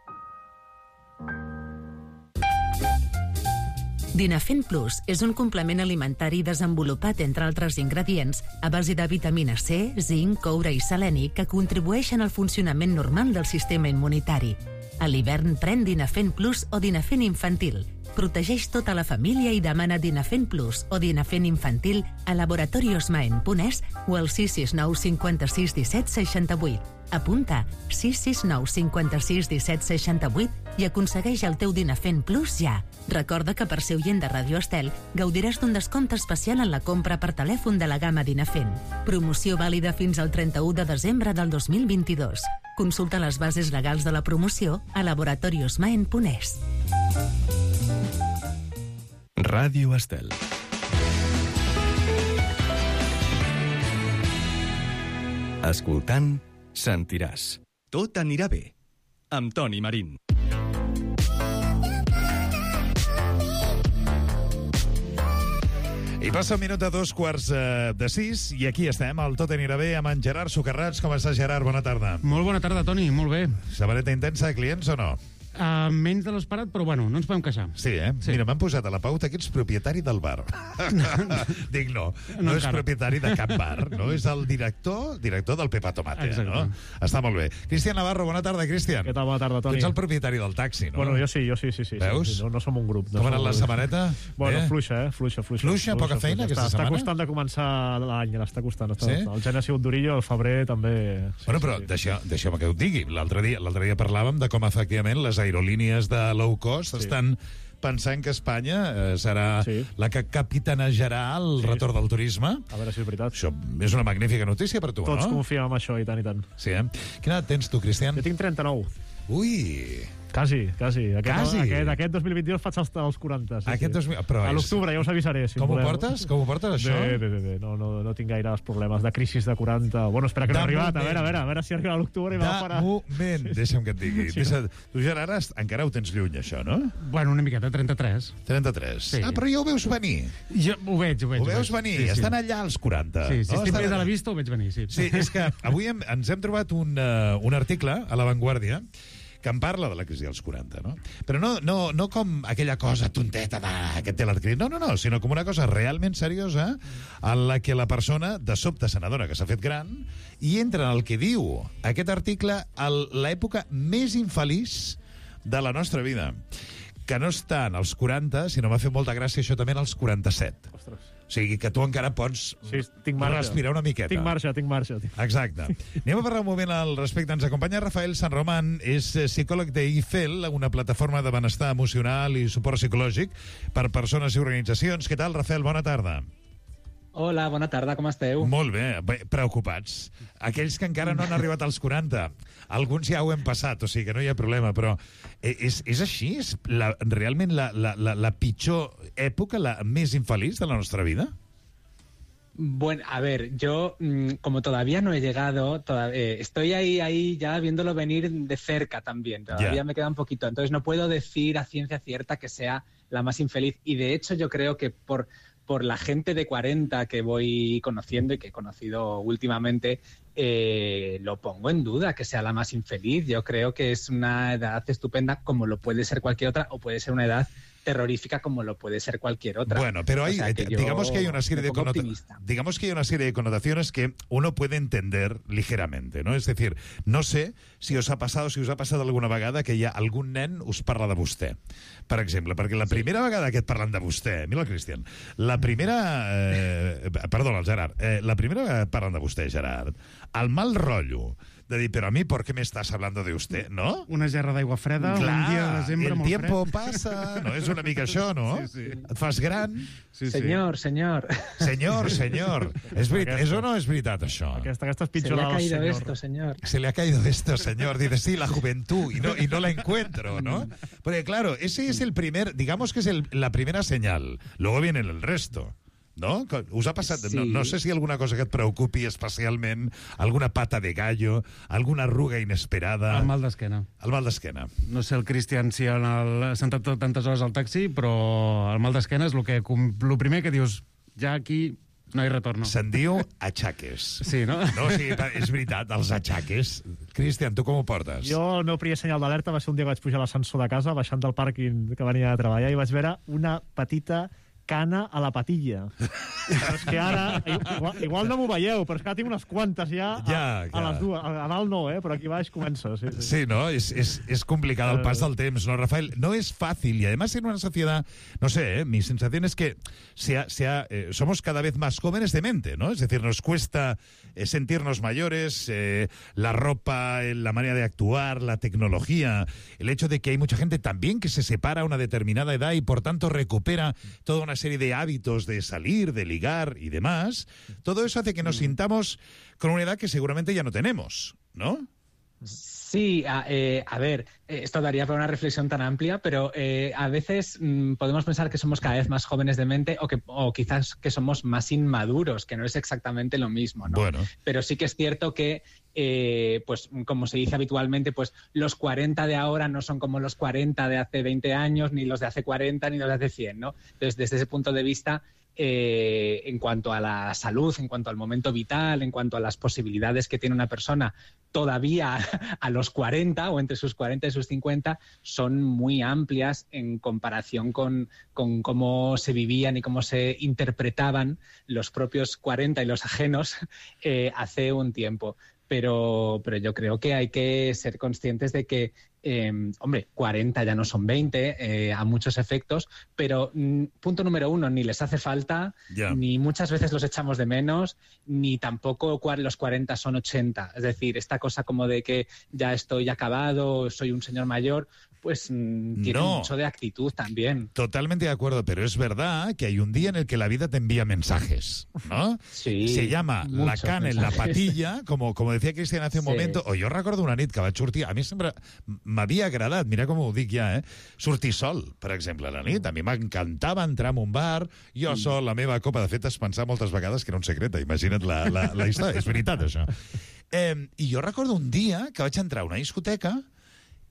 Dinafen Plus és un complement alimentari desenvolupat, entre altres ingredients, a base de vitamina C, zinc, coure i seleni que contribueixen al funcionament normal del sistema immunitari. A l'hivern pren Dinafen Plus o Dinafen Infantil. Protegeix tota la família i demana Dinafen Plus o Dinafen Infantil a laboratoriosmaen.es o al 669 56 17 68. Apunta 669 56 17 68 i aconsegueix el teu Dinafen Plus ja. Recorda que per ser oient de Radio Estel gaudiràs d'un descompte especial en la compra per telèfon de la gamma Dinafen. Promoció vàlida fins al 31 de desembre del 2022. Consulta les bases legals de la promoció a laboratoriosmaen.es. Ràdio Estel. Escoltant, sentiràs. Tot anirà bé. Amb Toni Marín. I passa un minut de 5:45 i aquí estem, al Tot anirà bé, amb en Gerard Socarrats. Com estàs, Gerard? Bona tarda. Molt bona tarda, Toni, molt bé. Samareta intensa de clients o no? Menys de l'esperat, però bueno, no ens podem queixar. Sí, eh? Sí. Mira, m'han posat a la pauta que ets propietari del bar. Dic, no és encara propietari de cap bar, no? És el director del Pepa Tomate, no? Està molt bé. Cristian Navarro, bona tarda, Cristian. Què tal? Bona tarda, Toni. Tu ets el propietari del taxi, no? Bueno, jo sí. Veus? Sí. No som un grup. Com ha anat la setmaneta? Bueno, fluixa, Fluixa, poca feina aquesta setmana? Està costant de començar l'any, està costant. El gener ha sigut durillo, el febrer també... Bueno, però deixeu-me que ho digui. L'altre dia parlàvem de com, efectivament, les aerolínies de low cost estan pensant que Espanya serà la que capitanejarà el retorn del turisme. A veure si és veritat. Això és una magnífica notícia per tu, Tots no? Tots confiem en això, i tant. Sí, eh? Quina edat tens tu, Cristian? Jo tinc 39. Ui! Quasi. Aquest 2022 faig els 40. A l'octubre ja us avisaré. Com ho portes? això? Bé. No tinc gaire problemes de crisi de 40. Bueno, espera que no ha arribat. A veure si arriba a l'octubre i va parar. Moment, deixa'm que et digui. Tu, Gerard, encara ho tens lluny, això, no? Bueno, una miqueta, 33. 33. Sí. Però ja ho veus venir. Jo ho veig. Ho veus venir. Estan allà als 40. Sí, si estic més a la vista, ho veig venir, sí. Sí, és que avui ens hem trobat un article a La Vanguardia que em parla de la crisi dels 40, no? Però no com aquella cosa tonteta que té l'article, no, sinó com una cosa realment seriosa en la que la persona de sobte se n'adona que s'ha fet gran i entra en el que diu aquest article a l'època més infeliç de la nostra vida, que no està en els 40, sinó m'ha fet molta gràcia això també en els 47. Ostres. O sigui, que tu encara pots respirar una miqueta. Tinc marxa. Exacte. Anem a parlar un moment al respecte. Ens acompanya Rafael San Román, és psicòleg d'IFEL, una plataforma de benestar emocional i suport psicològic per persones i organitzacions. Què tal, Rafael? Bona tarda. Hola, bona tarda, com esteu? Molt bé, preocupats. Aquells que encara no han arribat als 40, alguns ja ho hem passat, o sigui que no hi ha problema, però és així? És realment la pitjor època, la més infeliç de la nostra vida? Bueno, a ver, yo como todavía no he llegado, estoy ahí ya viéndolo venir de cerca también, todavía me queda un poquito, entonces no puedo decir a ciencia cierta que sea la más infeliz, y de hecho yo creo que por la gente de 40 que voy conociendo y que he conocido últimamente, lo pongo en duda que sea la más infeliz. Yo creo que es una edad estupenda como lo puede ser cualquier otra, o puede ser una edad terrorífica como lo puede ser cualquier otra. Bueno, pero digamos que hay una serie de connotaciones que uno puede entender ligeramente, ¿no? Es decir, no sé si us ha passat alguna vegada que hi ha algun nen us parla de vostè, per exemple, perquè la primera vegada que et parlen de vostè, mira el Cristian, el Gerard, la primera vegada que et parlen de vostè, Gerard, el mal rotllo de dir, però a mi, ¿por qué me estás hablando de usted? No? Una gerra d'aigua freda, Clar, un dia de desembre molt fred. el tiempo pasa, no? És una mica això, no? Sí. Et fas gran. Sí. Señor. Senyor. És o no és veritat, això? Aquesta és Se le pitjor ha del caído senyor. esto, señor. Se le ha caído esto, señor. Dice, sí, la juventud, y no la encuentro, ¿no? Porque, claro, ese es el primer, digamos que es la primera señal. Luego viene el resto, ¿no? Us ha passat... Sí. No sé si hi ha alguna cosa que et preocupi especialment, alguna pata de gallo, alguna arruga inesperada... El mal d'esquena. El mal d'esquena. No sé el Cristian si ha sentat tantes hores al taxi, però el mal d'esquena és el primer que dius, ja aquí no hi retorno. Se'n diu achaques. Sí, no? No, sí, és veritat, els achaques. Cristian, tu com ho portes? Jo, el meu primer senyal d'alerta va ser un dia que vaig pujar a l'ascensor de casa, baixant del pàrquing que venia de treballar, i vaig veure una petita cana a la patilla. Però és que ara, igual no m'ho veieu, però és que ara tinc unes quantes ja a les dues. A dalt no, però aquí baix comença. Sí, ¿no? Es complicado el pas del temps, ¿no, Rafael? No es fácil, y además en una sociedad, no sé, mi sensación es que somos cada vez más jóvenes de mente, ¿no? Es decir, nos cuesta sentirnos mayores, la ropa, la manera de actuar, la tecnología, el hecho de que hay mucha gente también que se separa a una determinada edad y por tanto recupera toda una serie de hábitos de salir, de ligar y demás. Todo eso hace que nos sintamos con una edad que seguramente ya no tenemos, ¿no? Sí, a ver, esto daría para una reflexión tan amplia, pero a veces podemos pensar que somos cada vez más jóvenes de mente o quizás que somos más inmaduros, que no es exactamente lo mismo, ¿no? Bueno. Pero sí que es cierto que, pues como se dice habitualmente, pues los 40 de ahora no son como los 40 de hace 20 años, ni los de hace 40, ni los de hace 100, ¿no? Entonces, desde ese punto de vista, en cuanto a la salud, en cuanto al momento vital, en cuanto a las posibilidades que tiene una persona todavía a los 40 o entre sus 40 y sus 50, son muy amplias en comparación con cómo se vivían y cómo se interpretaban los propios 40 y los ajenos hace un tiempo. Pero yo creo que hay que ser conscientes de que, hombre, 40 ya no son 20 a muchos efectos, pero punto número 1, ni les hace falta, ni muchas veces los echamos de menos, ni tampoco los 40 son 80. Es decir, esta cosa como de que ya estoy acabado, soy un señor mayor, pues tiene mucho de actitud también. Totalmente de acuerdo, pero es verdad que hay un día en el que la vida te envía mensajes, ¿no? Sí. Se llama la cana en la patilla, como decía Cristian hace un momento, o jo recordo una nit que vaig sortir, a mi sempre m'havia agradat, mira com ho dic ja, sortir sol, per exemple, a la nit. A mi m'encantava entrar en un bar, jo sol, la meva copa, de fet, es pensava moltes vegades que era un secret, imagina't la història, és veritat, això. I jo recordo un dia que vaig entrar a una discoteca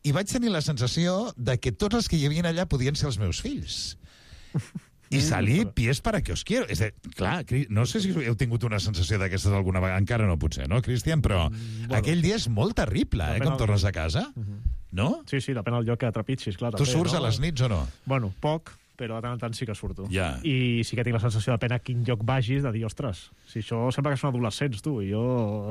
i vaig tenir la sensació de que tots els que hi havia allà podien ser els meus fills. I salir pies para que os quiero. És a dir, clar, no sé si heu tingut una sensació d'aquestes alguna vegada, encara no potser, no, Cristian? Però aquell dia és molt terrible, com tornes a casa, no? Sí, depèn del lloc que trepitgis, clar. Tu surts a les nits o no? Bueno, poc, però de tant en tant sí que surto. Ja. I sí que tinc la sensació, depèn a quin lloc vagis, de dir, ostres, si això sembla que són adolescents, tu, i jo...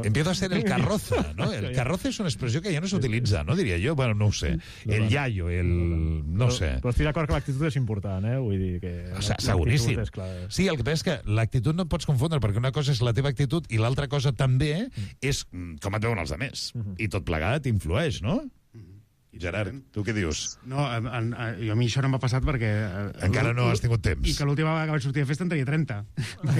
Empiezo a ser el carroza, ¿no? El carroza es una expressió que ja no s'utilitza, ¿no? Diria jo, bueno, no ho sé. El iaio, no sé. Però estic d'acord que l'actitud és important, Vull dir que... Seguríssim. Sí, el que passa és que l'actitud no et pots confondre, perquè una cosa és la teva actitud i l'altra cosa també és com et veuen els altres. I tot plegat influeix, no? Gerard, tu què dius? No, a mi això no m'ha passat perquè... Encara no has tingut temps. I que l'última vegada que vaig sortir de festa en tenia 30.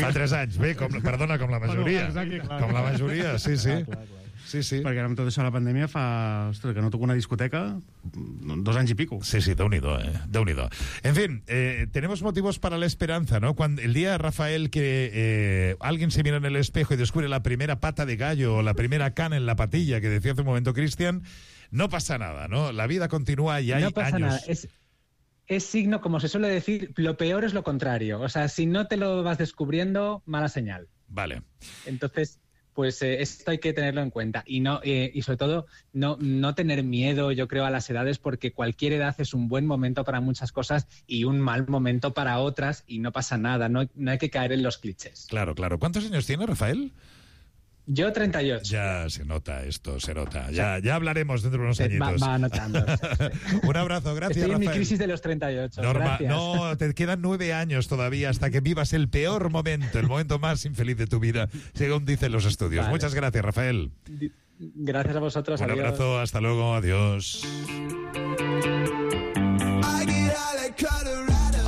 Fa 3 anys, bé, perdona, com la majoria. Com la majoria, sí. Sí. Perquè ara amb tot això de la pandèmia ostres, que no toco una discoteca 2 anys y pico. Sí, Déu-n'hi-do, Déu-n'hi-do. En fin, tenemos motivos para la esperanza, ¿no? Cuando el día, Rafael, que alguien se mira en el espejo y descubre la primera pata de gallo o la primera cana en la patilla que decía hace un momento Cristian, no pasa nada, ¿no? La vida continúa y hay años. No pasa nada, es signo, como se suele decir, lo peor es lo contrario. O sea, si no te lo vas descubriendo, mala señal. Vale. Entonces, pues esto hay que tenerlo en cuenta. Y sobre todo, no tener miedo, yo creo, a las edades, porque cualquier edad es un buen momento para muchas cosas y un mal momento para otras, y no pasa nada. No hay que caer en los clichés. Claro. ¿Cuántos años tiene, Rafael? Yo 38. Ya se nota esto, se nota. Ya hablaremos dentro de unos añitos. Va notando. Un abrazo, gracias, Estoy en Rafael. mi crisis de los 38. Gracias. No, te quedan 9 años todavía hasta que vivas el peor momento, el momento más infeliz de tu vida, según dicen los estudios. Vale. Muchas gracias, Rafael. Gracias a vosotros. Un adiós. abrazo, hasta luego, adiós.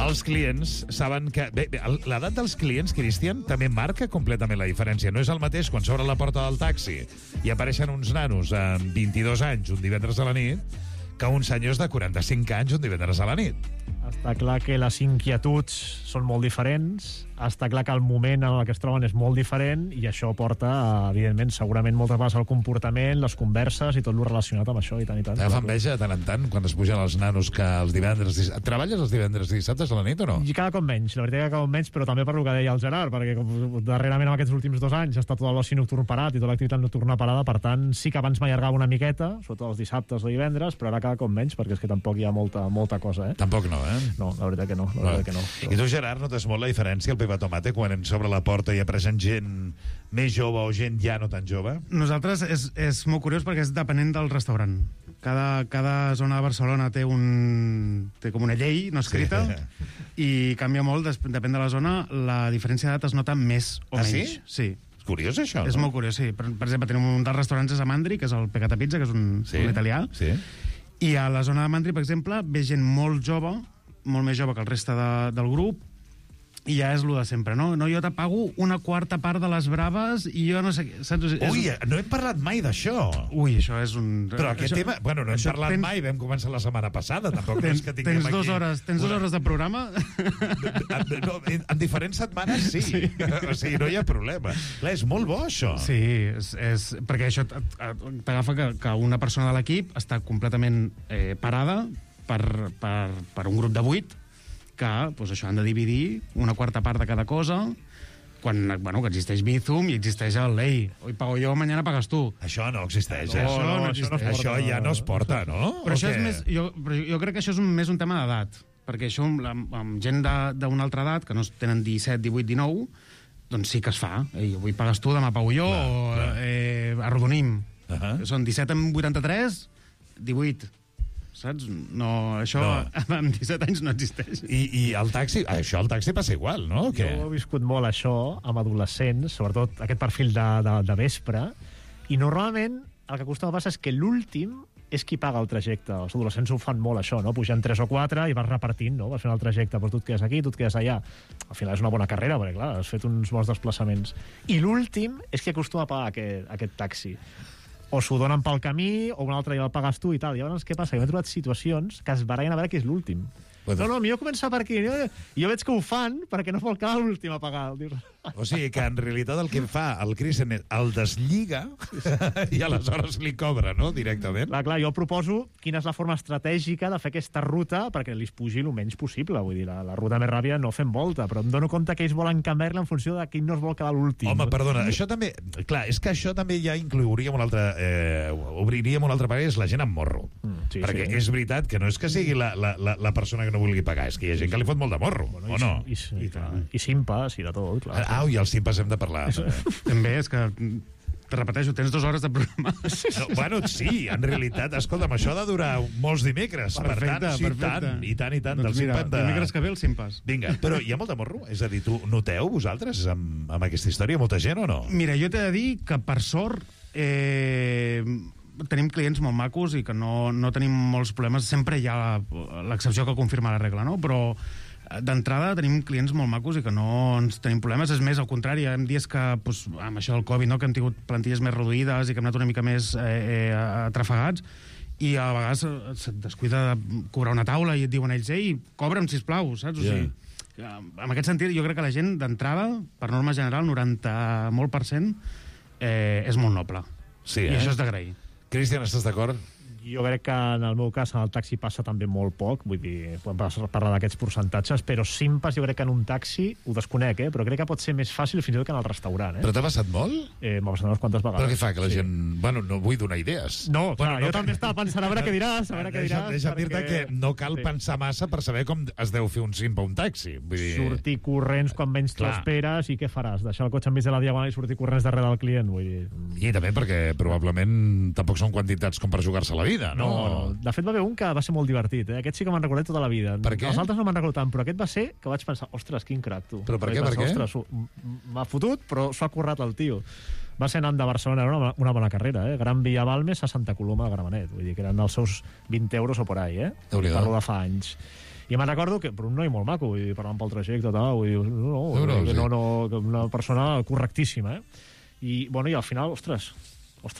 Els clients saben que... Bé, l'edat dels clients, Cristian, també marca completament la diferència. No és el mateix quan s'obre la porta del taxi i apareixen uns nanos amb 22 anys un divendres a la nit que uns senyors de 45 anys un divendres a la nit. Està clar que les inquietuds són molt diferents, està clar que el moment en el que es troben és molt diferent i això porta, evidentment, segurament moltes vegades al comportament, les converses i tot el relacionat amb això i tant i tant. T'agafa enveja de tant en tant quan es pugen els nanos que els divendres... Treballes els divendres i dissabtes a la nit o no? I cada cop menys, la veritat que cada cop menys, però també per el que deia el Gerard, perquè com darrerament en aquests últims 2 anys està tot l'oci nocturn parat i tota l'activitat nocturna parada, per tant, sí que abans m'allargava una miqueta, sobretot els dissabtes o divendres, però ara cada cop menys, perquè és que tampoc hi ha molta cosa, Tampoc no, No, la veritat que no. La veritat que no. I tu, Gerard, notes molt la diferència al Pepa Tomate quan s'obre la porta i apareixen gent més jove o gent ja no tan jove? Nosaltres és molt curiós perquè és depenent del restaurant. Cada zona de Barcelona té com una llei no escrita i canvia molt, depèn de la zona, la diferència d'edat es nota més o menys. Sí? És curiós, això, És molt curiós, sí. Per exemple, tenim un dels restaurants a Mandri, que és el Pecata Pizza, que és un italià. Sí. I a la zona de Mandri, per exemple, ve gent molt jove, molt més jove que el reste del grup, i ja és lo de sempre, no? No, jo te pago una quarta part de les braves i jo no sé què, saps? Ui, no hem parlat mai d'això. Ui, això és un... Però aquest tema... Bueno, no hem parlat mai, vam començar la setmana passada, tampoc és que tinguem aquí... Tens 2 hores de programa? No, en diferents setmanes sí. O sigui, no hi ha problema. Clar, és molt bo, això. Sí, perquè això t'agafa que una persona de l'equip està completament parada per un grup de 8 que doncs això, han de dividir una quarta part de cada cosa quan que existeix Bizum i existeix el Lei. Hoy pago yo, mañana pagas tu. Això no existeix, Això ja no es porta, no? Però això és més... Jo crec que això és més un tema d'edat, perquè això amb gent d'una altra edat, que no tenen 17, 18, 19, doncs sí que es fa. Avui pagues tu, demà pago jo, arrodonim. Són 17 amb 83, 18... Saps? No, això amb 17 anys no existeix. I el taxi, això al taxi passa igual, no? Jo he viscut molt això amb adolescents, sobretot aquest perfil de vespre, i normalment el que acostuma a passar és que l'últim és qui paga el trajecte. Els adolescents ho fan molt, això, no? Pugen 3 o 4 i vas repartint, no? Vas fent el trajecte, però tu et quedes aquí, tu et quedes allà. Al final és una bona carrera, perquè, clar, has fet uns bons desplaçaments. I l'últim és qui acostuma a pagar aquest taxi. O s'ho donen pel camí, o un altre dia el pagues tu i tal. I llavors què passa? Jo m'he trobat situacions que es barallen a veure qui és l'últim. No, millor començar per aquí. Jo veig que ho fan perquè no vol quedar l'últim a pagar. O sigui que en realitat el que fa el Cristian el deslliga i aleshores li cobra, no?, directament. Clar, jo proposo quina és la forma estratègica de fer aquesta ruta perquè li pugi el menys possible. Vull dir, la ruta més ràpida no fem volta, però em dono compte que ells volen canviar-la en funció de qui no es vol quedar l'últim. Home, perdona, això també... Clar, és que això també ja inclouríem un altre... obriríem un altre parer, és la gent amb morro. Perquè és veritat que no és que sigui la persona que no vulgui pagar, és que hi ha gent que li fot molt de morro, o no? I simpes i de tot, clar. I els simpes hem de parlar. També és que... Te repeteixo, tens 2 hores de programa. No, bueno, sí, en realitat, escolta'm, això ha de durar molts dimecres. Perfecte, I tant. Doncs mira, dimecres que ve el simpes. Vinga, però hi ha molt de morro? És a dir, tu noteu vosaltres amb aquesta història molta gent o no? Mira, jo t'he de dir que, per sort, tenim clients molt macos i que no tenim molts problemes. Sempre hi ha l'excepció que confirma la regla, no? Però d'entrada tenim clients molt macos i que no ens tenim problemes. És més, al contrari, hi ha dies que, doncs, amb això del Covid, no?, que hem tingut plantilles més reduïdes i que hem anat una mica més atrafegats, i a vegades se't descuida de cobrar una taula i et diuen ells, ei, cobra'm, sisplau, saps? O sigui, en aquest sentit, jo crec que la gent, d'entrada, per norma general, 90% és molt noble. Sí, I això és d'agrair. Cristian, estàs d'acord? Jo crec que en el meu cas en el taxi passa també molt poc, vull dir, podem parlar d'aquests percentatges, però simpes jo crec que en un taxi, ho desconec, però crec que pot ser més fàcil fins i tot que en el restaurant. Però t'ha passat molt? M'ha passat unes quantes vegades. Però què fa, que la gent... Bueno, no vull donar idees. No, clar, jo també estava pensant a veure què diràs, Deixa'm dir-te que no cal pensar massa per saber com es deu fer un simp a un taxi. Vull dir... Sortir corrents quan menys t'ho esperes i què faràs? Deixar el cotxe enmig de la diagonal i sortir corrents darrere del client? Vull dir... I també perquè probablement tampoc són quantitats com per jugar-se la vida. vida, no? No. De fet, va haver un que va ser molt divertit. Aquest sí que me'n recordat tota la vida. Per què? Els altres no me'n recordo tant, però aquest va ser que vaig pensar, ostres, quin crac, tu. Però per què? Ostres, m'ha fotut, però s'ho ha currat el tio. Va ser anant de Barcelona, era una bona carrera, Gran Via Balmes a Santa Coloma de Gramenet. Vull dir que eren els seus 20 euros o por ahí, Parlo de fa anys. I me'n recordo que, però un noi molt maco, vull dir, parlant pel trajecte, vull dir, una persona correctíssima, I, bueno, i al final, ostres,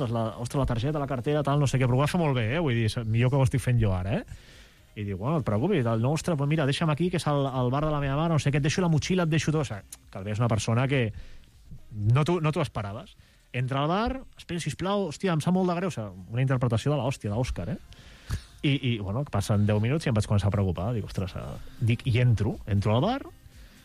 la targeta, la cartera, tal, no sé què, però ho va fer molt bé, vull dir, millor que ho estic fent jo ara, I diu, bueno, no et preocupis, ostres, pues mira, deixa'm aquí, que és al bar de la meva mare, no sé què, et deixo la motxilla, et deixo tot, o sigui, que és una persona que no t'ho esperaves. Entra al bar, espera, sisplau, hòstia, em sap molt de greu, o sigui, una interpretació de l'hòstia, d'Òscar, I, bueno, passen 10 minuts i em vaig començar a preocupar, dic, ostres, i entro al bar,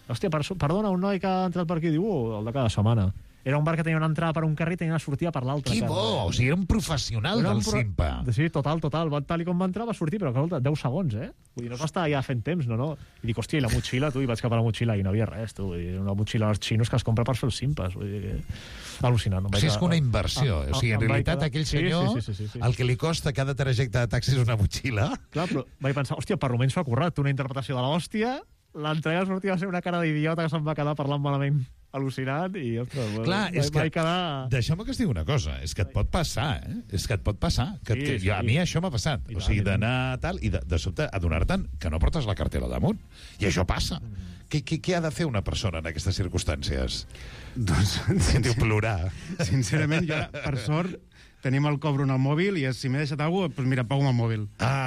hòstia, perdona, un noi que ha entrat per aquí, diu, el de cada setmana. Era un bar que tenia una entrada per un carrer i tenia una sortida per l'altre. Que bo! O sigui, era un professional del Simpa. Sí, total. Tal com va entrar, va sortir, però, escolta, 10 segons, Vull dir, no s'està ja fent temps, no? I dic, hòstia, i la motxilla, tu? I vaig cap a la motxilla i no havia res, tu. Vull dir, una motxilla als xinos que es compra per fer els Simpes. Vull dir, al·lucinant. O sigui, és que una inversió. O sigui, en realitat, aquell senyor, el que li costa cada trajecte de taxi és una motxilla. Clar, però vaig pensar, hòstia, per almenys s'ho ha currat. Una interpretació de l'hòstia, l'entrega sortia va ser una cara d'idiota que se'n va quedar parlant malament al·lucinant i, ostres, clar, és que deixeu-me que es digui una cosa, és que et pot passar, És que et pot passar. A mi això m'ha passat. O sigui, d'anar tal i de sobte adonar-te'n que no portes la cartera damunt. I això passa. Què ha de fer una persona en aquestes circumstàncies? Doncs, diu plorar. Sincerament, jo, per sort, tenim el cobro en el mòbil i si m'he deixat alguna cosa, doncs mira, pago amb el mòbil.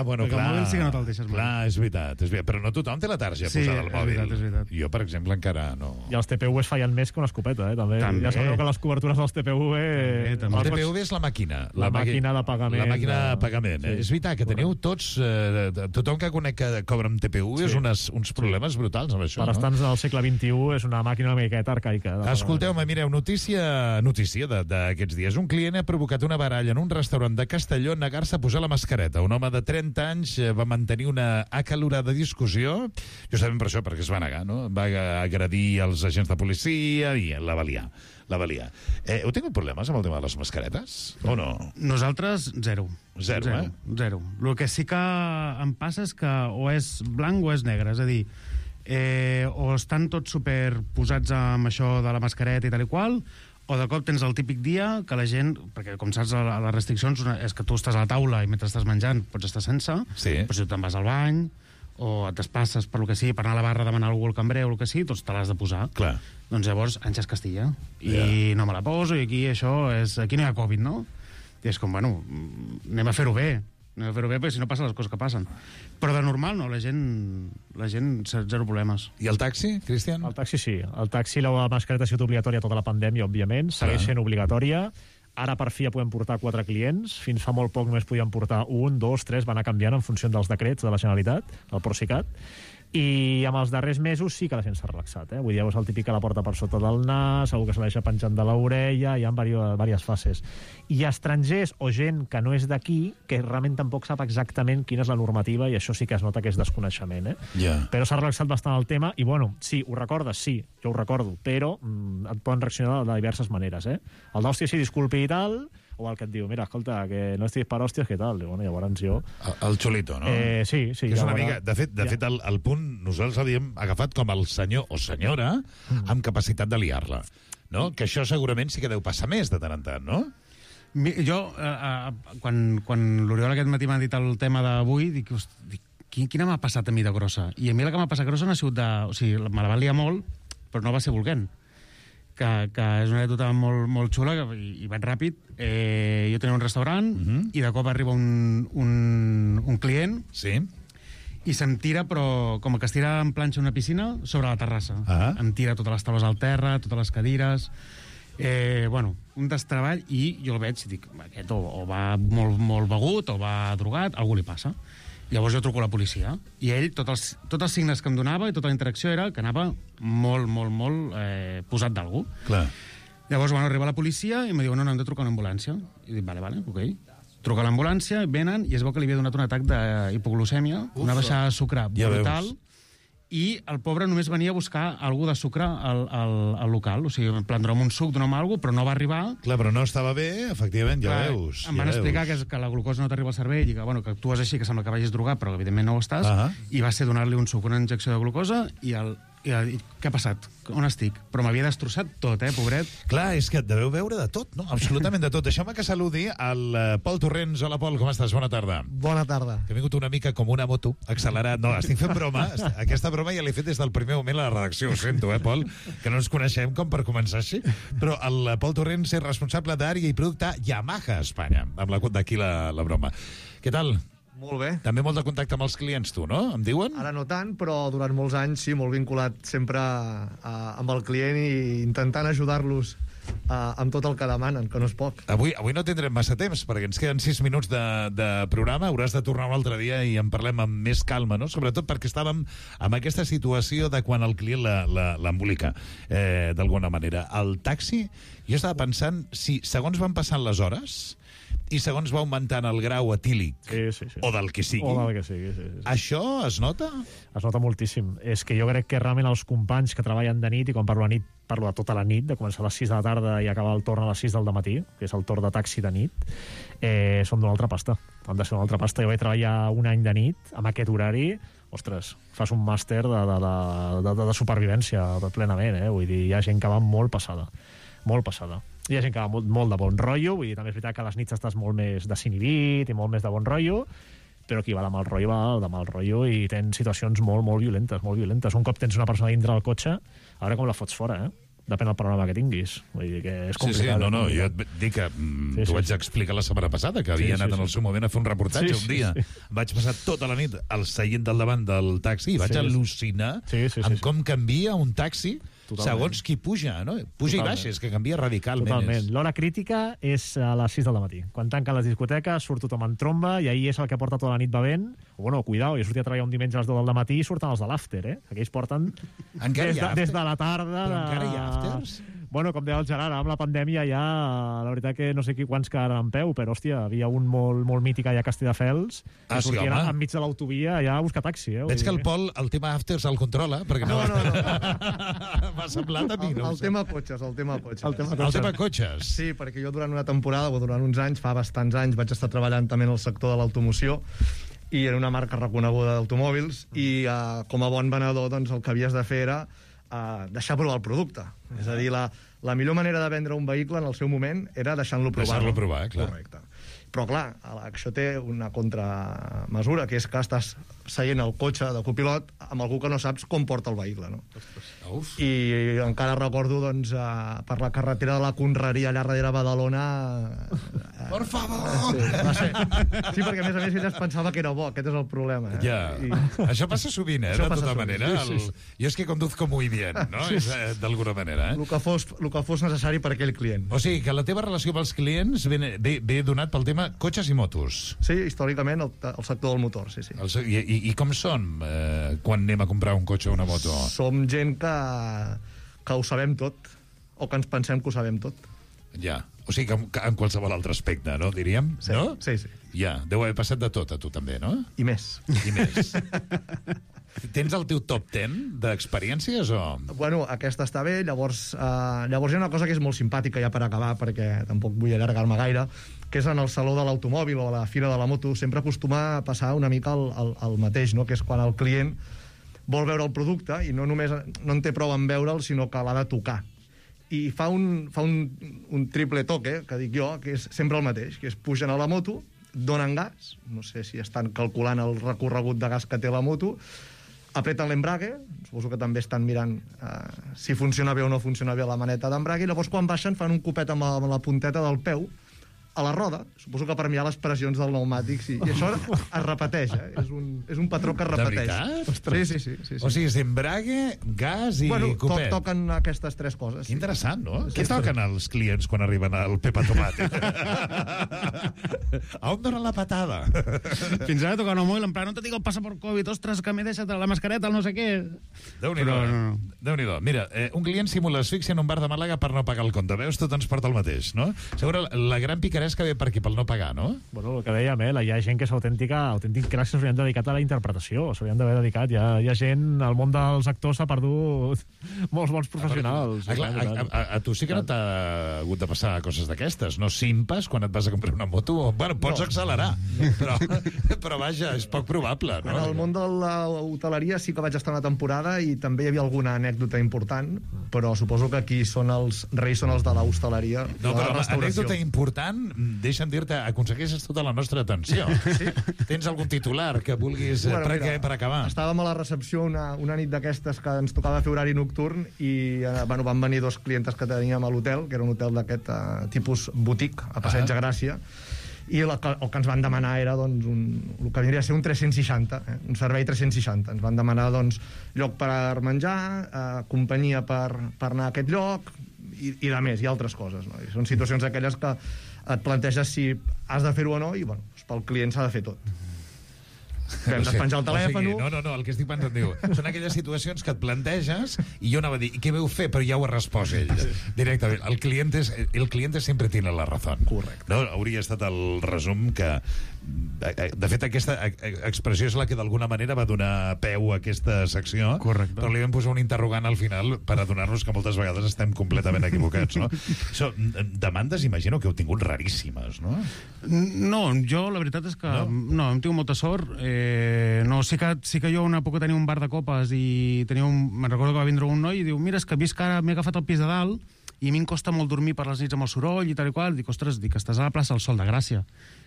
Bueno, perquè clar. El mòbil sí que no te'l deixes mai. Clar, és veritat. Però no tothom té la tarja posada al mòbil. És veritat. Jo, per exemple, encara no. I els TPVs fallen més que una escopeta, també. Ja sabeu que les cobertures dels TPV... El TPV és la màquina. La màquina de pagament. La màquina de pagament. És veritat que teniu tots... Tothom que conec que cobra amb TPV és uns problemes brutals amb això. Per estar al segle XXI és una màquina una miqueta arcaica. Escolteu-me, mireu, notícia d'aquests dies. Un client ha provocat una baralla en un restaurant de Castelló en negar-se a posar la mascareta. Un home de 30 anys va mantenir una acalorada discussió, justament per això, perquè es va negar, no? Va agredir els agents de policia i la va liar. Heu tingut problemes amb el tema de les mascaretes? O no? Nosaltres, zero. Zero. El que sí que em passa és que o és blanc o és negre, és a dir, o estan tots superposats amb això de la mascareta i tal i qual, o de cop tens el típic dia que la gent, perquè com saps les restriccions és que tu estàs a la taula i mentre estàs menjant pots estar sense, però si tu te'n vas al bany o et despasses per lo que sigui, per anar a la barra a demanar algú al cambrer o el que sigui, doncs te l'has de posar. Clar. Doncs llavors Àngels Castilla i no me la poso i aquí aquí no hi ha Covid, no? I és com, bueno, anem a fer-ho bé, perquè si no passen les coses que passen. Però de normal, no, la gent zero problemes. I el taxi, Cristian? El taxi sí. El taxi, la mascareta ha sigut obligatòria tota la pandèmia, òbviament. Segueix sent obligatòria. Ara, per fi, ja podem portar 4 clients. Fins fa molt poc només podíem portar 1, 2, 3, va anar canviant en funció dels decrets de la Generalitat, del Procicat. I amb els darrers mesos sí que la gent s'ha relaxat. Vull dir, llavors el típic que la porta per sota del nas, algú que se la deixa penjant de l'orella, hi ha diverses fases. I estrangers o gent que no és d'aquí, que realment tampoc sap exactament quina és la normativa, i això sí que es nota que és desconeixement. Però s'ha relaxat bastant el tema, i bueno, sí, ho recordes? Sí, jo ho recordo, però et poden reaccionar de diverses maneres. El d'hòstia sí, disculpi i tal, o el que et diu, mira, escolta, que no estiguis per hòsties, què tal? I bueno, llavors jo... El xulito, no? Sí. Que és una mica... De fet, el punt nosaltres l'havíem agafat com el senyor o senyora amb capacitat de liar-la, no? Que això segurament sí que deu passar més de tant en tant, no? Jo, quan l'Oriol aquest matí m'ha dit el tema d'avui, dic, quina m'ha passat a mi de grossa? I a mi la que m'ha passat grossa no ha sigut de... O sigui, me la va liar molt, però no va ser volent. Que és una anècdota molt xula i vaig ràpid. Jo tenia un restaurant i de cop arriba un client i se'm tira, però com que es tira en planxa una piscina, sobre la terrassa. Em tira totes les taules al terra, totes les cadires... un destreball, i jo el veig i dic, aquest o va molt begut o va drogat, algú li passa. Llavors jo truco a la policia i ell, tots els signes que em donava i tota la interacció era que anava molt posat d'algú. Llavors, arriba la policia i em diu, no, hem de trucar una ambulància. I dic, vale, ok. Truca a l'ambulància, venen i es veu que li havia donat un atac d'hipoglucèmia, una baixada de sucre brutal, i el pobre només venia a buscar algú de sucre al local, o sigui, en plan, dona'm un suc, dona'm alguna cosa, però no va arribar. Clar, però no estava bé, efectivament, ja veus. Em van explicar que la glucosa no t'arriba al cervell i que, bueno, que actues així, que sembla que vagis drogat, però evidentment no ho estàs, i va ser donar-li un suc, una injecció de glucosa, i què ha passat? On estic? Però m'havia destrossat tot, pobret. Clar, és que deveu veure de tot, no? Absolutament de tot. Deixeu-me que saludi el Pol Torrents. Hola, Pol, com estàs? Bona tarda. Bona tarda. Que ha vingut una mica com una moto, accelerat. No, estic fent broma. Aquesta broma ja l'he fet des del primer moment a la redacció. Ho sento, Pol, que no ens coneixem com per començar així. Però el Pol Torrents és responsable d'àrea i producte Yamaha a Espanya. D'aquí la broma. Què tal? Molt bé. També molt de contacte amb els clients, tu, no? Em diuen? Ara no tant, però durant molts anys, sí, molt vinculat sempre amb el client i intentant ajudar-los amb tot el que demanen, que no és poc. Avui no tindrem massa temps, perquè ens queden 6 minuts de programa. Hauràs de tornar un altre dia i en parlem amb més calma, no? Sobretot perquè estàvem en aquesta situació de quan el client l'embolica, d'alguna manera. El taxi, jo estava pensant, si segons van passant les hores i segons va augmentant el grau etílic o del que sigui, això es nota? Es nota moltíssim. És que jo crec que realment els companys que treballen de nit, i quan parlo de nit, parlo de tota la nit, de començar a les 6 de la tarda i acabar el torn a les 6 del matí, que és el torn de taxi de nit, són d'una altra pasta. Han de ser una altra pasta. Jo vaig treballar un any de nit, amb aquest horari, ostres, fas un màster de supervivència plenament, vull dir, hi ha gent que va molt passada. Molt passada. Hi ha gent que va molt de bon rotllo, vull dir, també és veritat que a les nits estàs molt més desinhibit i molt més de bon rotllo, però qui va de mal rotllo va de mal rotllo i tens situacions molt violentes, molt violentes. Un cop tens una persona dintre del cotxe, a veure com la fots fora, Depèn del programa que tinguis. Vull dir que és complicat. Sí, no, jo et dic que t'ho vaig explicar la setmana passada, que havia anat en el seu moment a fer un reportatge un dia. Vaig passar tota la nit al seient del davant del taxi i vaig al·lucinar amb com canvia un taxi segons qui puja, no? Puja i baixa, és que canvia radicalment. Totalment. L'hora crítica és a les 6 del matí. Quan tanquen les discoteques, surt tothom en tromba i ahir és el que porta tota la nit bevent. Bueno, cuidao, jo sortia a treballar un diumenge a les 2 del matí i surten els de l'after, Aquells porten des de la tarda. Però encara hi ha afters? Bueno, com deia el Gerard, amb la pandèmia ja, la veritat que no sé quants quedaran en peu, però, hòstia, havia un molt mític allà a Castelldefels, que sortien enmig de l'autovia allà a buscar taxi. Veig que el Pol, el tema afters el controla, perquè no. M'ha semblat a mi, no? El tema cotxes. El tema cotxes. Sí, perquè jo durant una temporada, o durant uns anys, fa bastants anys, vaig estar treballant també en el sector de l'automoció, i era una marca reconeguda d'automòbils, i com a bon venedor, doncs, el que havies de fer era deixar provar el producte. És a dir, la millor manera de vendre un vehicle en el seu moment era deixant-lo provar. Deixar-lo provar, clar. Correcte. Però, clar, això té una contramesura, que és que estàs seient al cotxe de copilot amb algú que no saps com porta el vehicle, no? Uf. I encara recordo, doncs, per la carretera de la Conreria allà darrere Badalona... Por favor! Sí, perquè a més ella es pensava que era bo, aquest és el problema. Ja. Això passa sovint, de tota manera. Jo és que conduzco muy bien, no? D'alguna manera, El que fos necessari per aquell client. O sigui, que la teva relació amb els clients ve donat pel tema cotxes i motos. Sí, històricament el sector del motor, sí. I com són quan anem a comprar un cotxe o una moto? Som gent que ho sabem tot, o que ens pensem que ho sabem tot. Ja, o sigui que en qualsevol altre aspecte, no, diríem? Sí, no? Sí. Ja, deu haver passat de tot a tu també, no? I més. Tens el teu top 10 d'experiències o...? Bueno, aquesta està bé, llavors hi ha una cosa que és molt simpàtica ja per acabar, perquè tampoc vull allargar-me gaire, que és en el saló de l'automòbil o a la fira de la moto, sempre acostuma a passar una mica el mateix, no? Que és quan el client vol veure el producte i no només no en té prou en veure'l, sinó que l'ha de tocar. I fa un triple toque, que dic jo, que és sempre el mateix, que és pugen a la moto, donen gas, no sé si estan calculant el recorregut de gas que té la moto, apreten l'embrague, suposo que també estan mirant si funciona bé o no funciona bé la maneta d'embrague, i llavors quan baixen fan un copet amb la punteta del peu a la roda, suposo que per mirar les pressions del pneumàtic, sí. I això es repeteix, és un patró que es repeteix. De veritat? Sí. O sigui, és embrague, gas i copet. Toquen aquestes tres coses. Que interessant, no? Què toquen els clients quan arriben al Pepa Tomate? A on donen la patada? Fins ara toquen el mòbil, en plan, no te dic el passaport Covid, ostres, que m'he deixat la mascareta, el no sé què. Déu-n'hi-do. Mira, un client simula asfíxia en un bar de Màlaga per no pagar el compte. Veus, tot ens porta el mateix, no? Segura, la gran picareta l'interès que ve per aquí, pel no pagar, no? Bueno, el que dèiem, hi ha gent que és autèntic cracs que s'haurien dedicat a la interpretació, s'haurien d'haver dedicat. Hi ha gent, el món dels actors s'ha perdut molts bons professionals. A tu sí que no t'ha hagut de passar coses d'aquestes, no simpes quan et vas a comprar una moto? Bueno, pots accelerar, però vaja, és poc probable, no? En el món de l'hoteleria sí que vaig estar una temporada i també hi havia alguna anècdota important, però suposo que aquí els reis són els de l'hostaleria. No, però l'anècdota important, deixa'm dir-te, aconsegueixes tota la nostra atenció. Sí? Tens algun titular que vulguis per acabar? Estàvem a la recepció una nit d'aquestes que ens tocava fer horari nocturn i van venir dos clientes que teníem a l'hotel, que era un hotel d'aquest tipus boutique, a Passeig de Gràcia, i el que ens van demanar era el que vindria a ser un 360, un servei 360. Ens van demanar lloc per menjar, companyia per anar a aquest lloc i de més, i altres coses. I són situacions aquelles que et planteges si has de fer-ho o no i pel client s'ha de fer tot. Hem de penjar el telèfon. No, el que estic pensant, diu, són aquelles situacions que et planteges i jo anava a dir, què veu fer? Però ja ho ha respost ell directament. El cliente sempre tiene la razón. Correcte. No? Hauria estat el resum que... De fet, aquesta expressió és la que d'alguna manera va donar peu a aquesta secció. Correcte. Però li vam posar un interrogant al final per adonar-nos que moltes vegades estem completament equivocats, no? Demandes, imagino que heu tingut raríssimes, no? No, jo la veritat és que no hem tingut molta sort. No, sí que jo una època tenia un bar de copes i me'n recordo que va vindre un noi i diu, mira, és que visc ara, m'he agafat el pis de dalt i a mi em costa molt dormir per les nits amb el soroll i tal i qual. Dic, ostres, estàs a la plaça del Sol de Gràcia.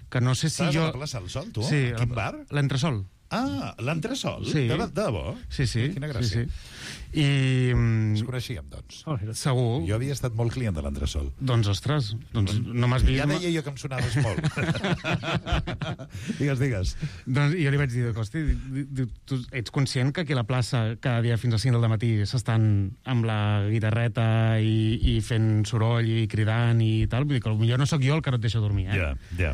Que no sé si Estàs jo... a la plaça del Sol, tu? Sí. Quin bar? L'Entresol. Ah, l'Entresol? Sí. De debò? Sí. Quina gràcia. Sí. I... Ens coneixíem, doncs. Segur. Jo havia estat molt client de l'Entresol. Doncs, ostres, no m'has vist... Ja deia jo que em sonaves molt. Digues. Doncs jo li vaig dir, hosti, tu ets conscient que aquí a la plaça cada dia fins a 5 del matí s'estan amb la guitarreta i fent soroll i cridant i tal? Vull dir que potser no sóc jo el que no et deixa dormir, Ja.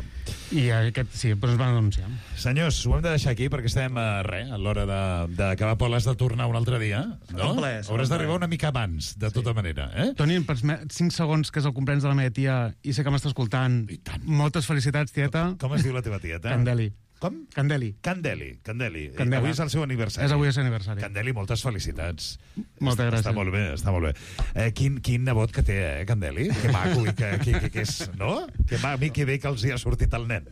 I aquest, sí, però ens van denunciar. Senyors, ho hem de deixar aquí perquè estem a l'hora d'acabar, Pol, has de tornar un altre dia, no? Hauràs d'arribar una mica abans, de tota manera, Toni, 5 segons, que és el compleanys de la meva tia, i sé que m'està escoltant. Moltes felicitats, tieta. Com es diu la teva tieta? Candeli. Com? Candeli. Avui és el seu aniversari. És avui el seu aniversari. Candeli, moltes felicitats. Moltes gràcies. Està molt bé. Quin nebot que té, Candeli? Que maco i que és, no? Que bé que els hi ha sortit el nen.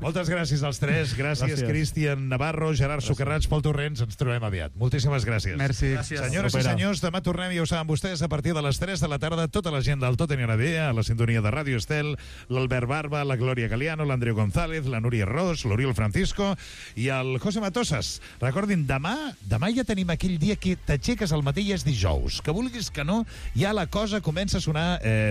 Moltes gràcies als tres. Gràcies. Cristian Navarro, Gerard Socarrats, Pol Torrents. Ens trobem aviat. Moltíssimes gràcies. Merci. Senyores i senyors, demà tornem, ja ho saben vostès, a partir de les 3 de la tarda, tota la gent del Tot anirà bé, a la sintonia de Ràdio Estel, l'Albert Barba, la Glòria Galiano, l'Andreu González, la Núria Ros, l'Oriol Francisco i el José Matosas. Recordin, demà ja tenim aquell dia que t'aixeques al matí i és dijous. Que vulguis que no, ja la cosa comença a sonar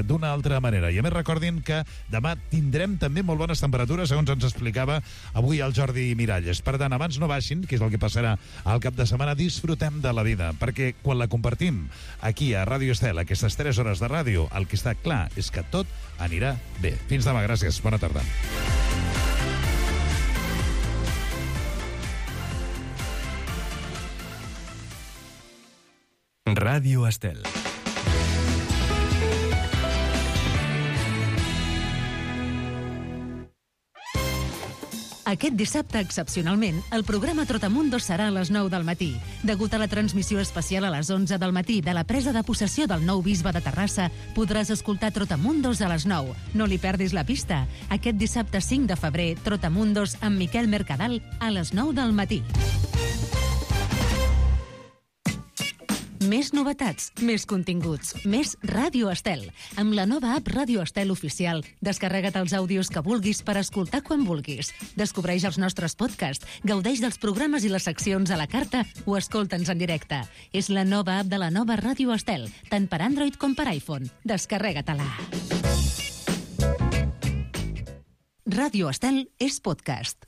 d'una altra manera. I a més recordin que demà tindrem també molt bones temperatures, segons ens explicava avui el Jordi Miralles. Per tant, abans no baixin, que és el que passarà al cap de setmana, disfrutem de la vida, perquè quan la compartim aquí a Ràdio Estel, aquestes 3 hores de ràdio, el que està clar és que tot anirà bé. Fins demà, gràcies. Bona tarda. Ràdio Estel. Aquest dissabte, excepcionalment, el programa Trotamundos serà a les 9 del matí. Degut a la transmissió especial a les 11 del matí de la presa de possessió del nou bisbe de Terrassa, podràs escoltar Trotamundos a les 9. No li perdis la pista. Aquest dissabte 5 de febrer, Trotamundos amb Miquel Mercadal a les 9 del matí. Més novetats, més continguts, més Ràdio Estel. Amb la nova app Ràdio Estel Oficial, descarrega't els àudios que vulguis per escoltar quan vulguis. Descobreix els nostres podcasts, gaudeix dels programes i les seccions a la carta o escolta'ns en directe. És la nova app de la nova Ràdio Estel, tant per Android com per iPhone. Descarrega-te-la. Ràdio Estel és podcast.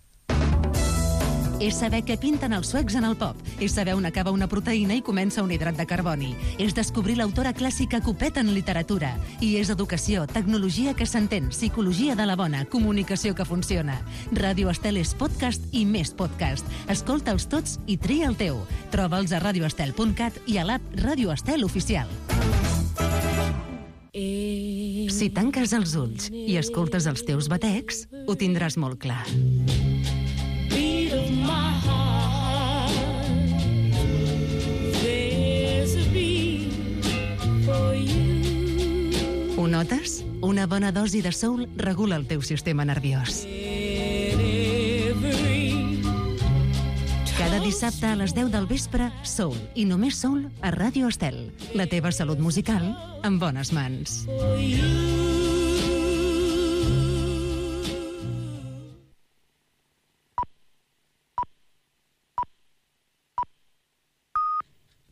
És saber què pinten els suecs en el pop. És saber on acaba una proteïna i comença un hidrat de carboni. És descobrir l'autora clàssica Copet en literatura. I és educació, tecnologia que s'entén, psicologia de la bona, comunicació que funciona. Ràdio Estel és podcast i més podcast. Escolta'ls tots i tria el teu. Troba'ls a radioestel.cat i a l'app Ràdio Estel Oficial. Si tanques els ulls i escoltes els teus batecs, ho tindràs molt clar. Ho notes? Una bona dosi de soul regula el teu sistema nerviós. Cada dissabte a les 10 del vespre, Soul, i només Soul, a Ràdio Estel. La teva salut musical en bones mans.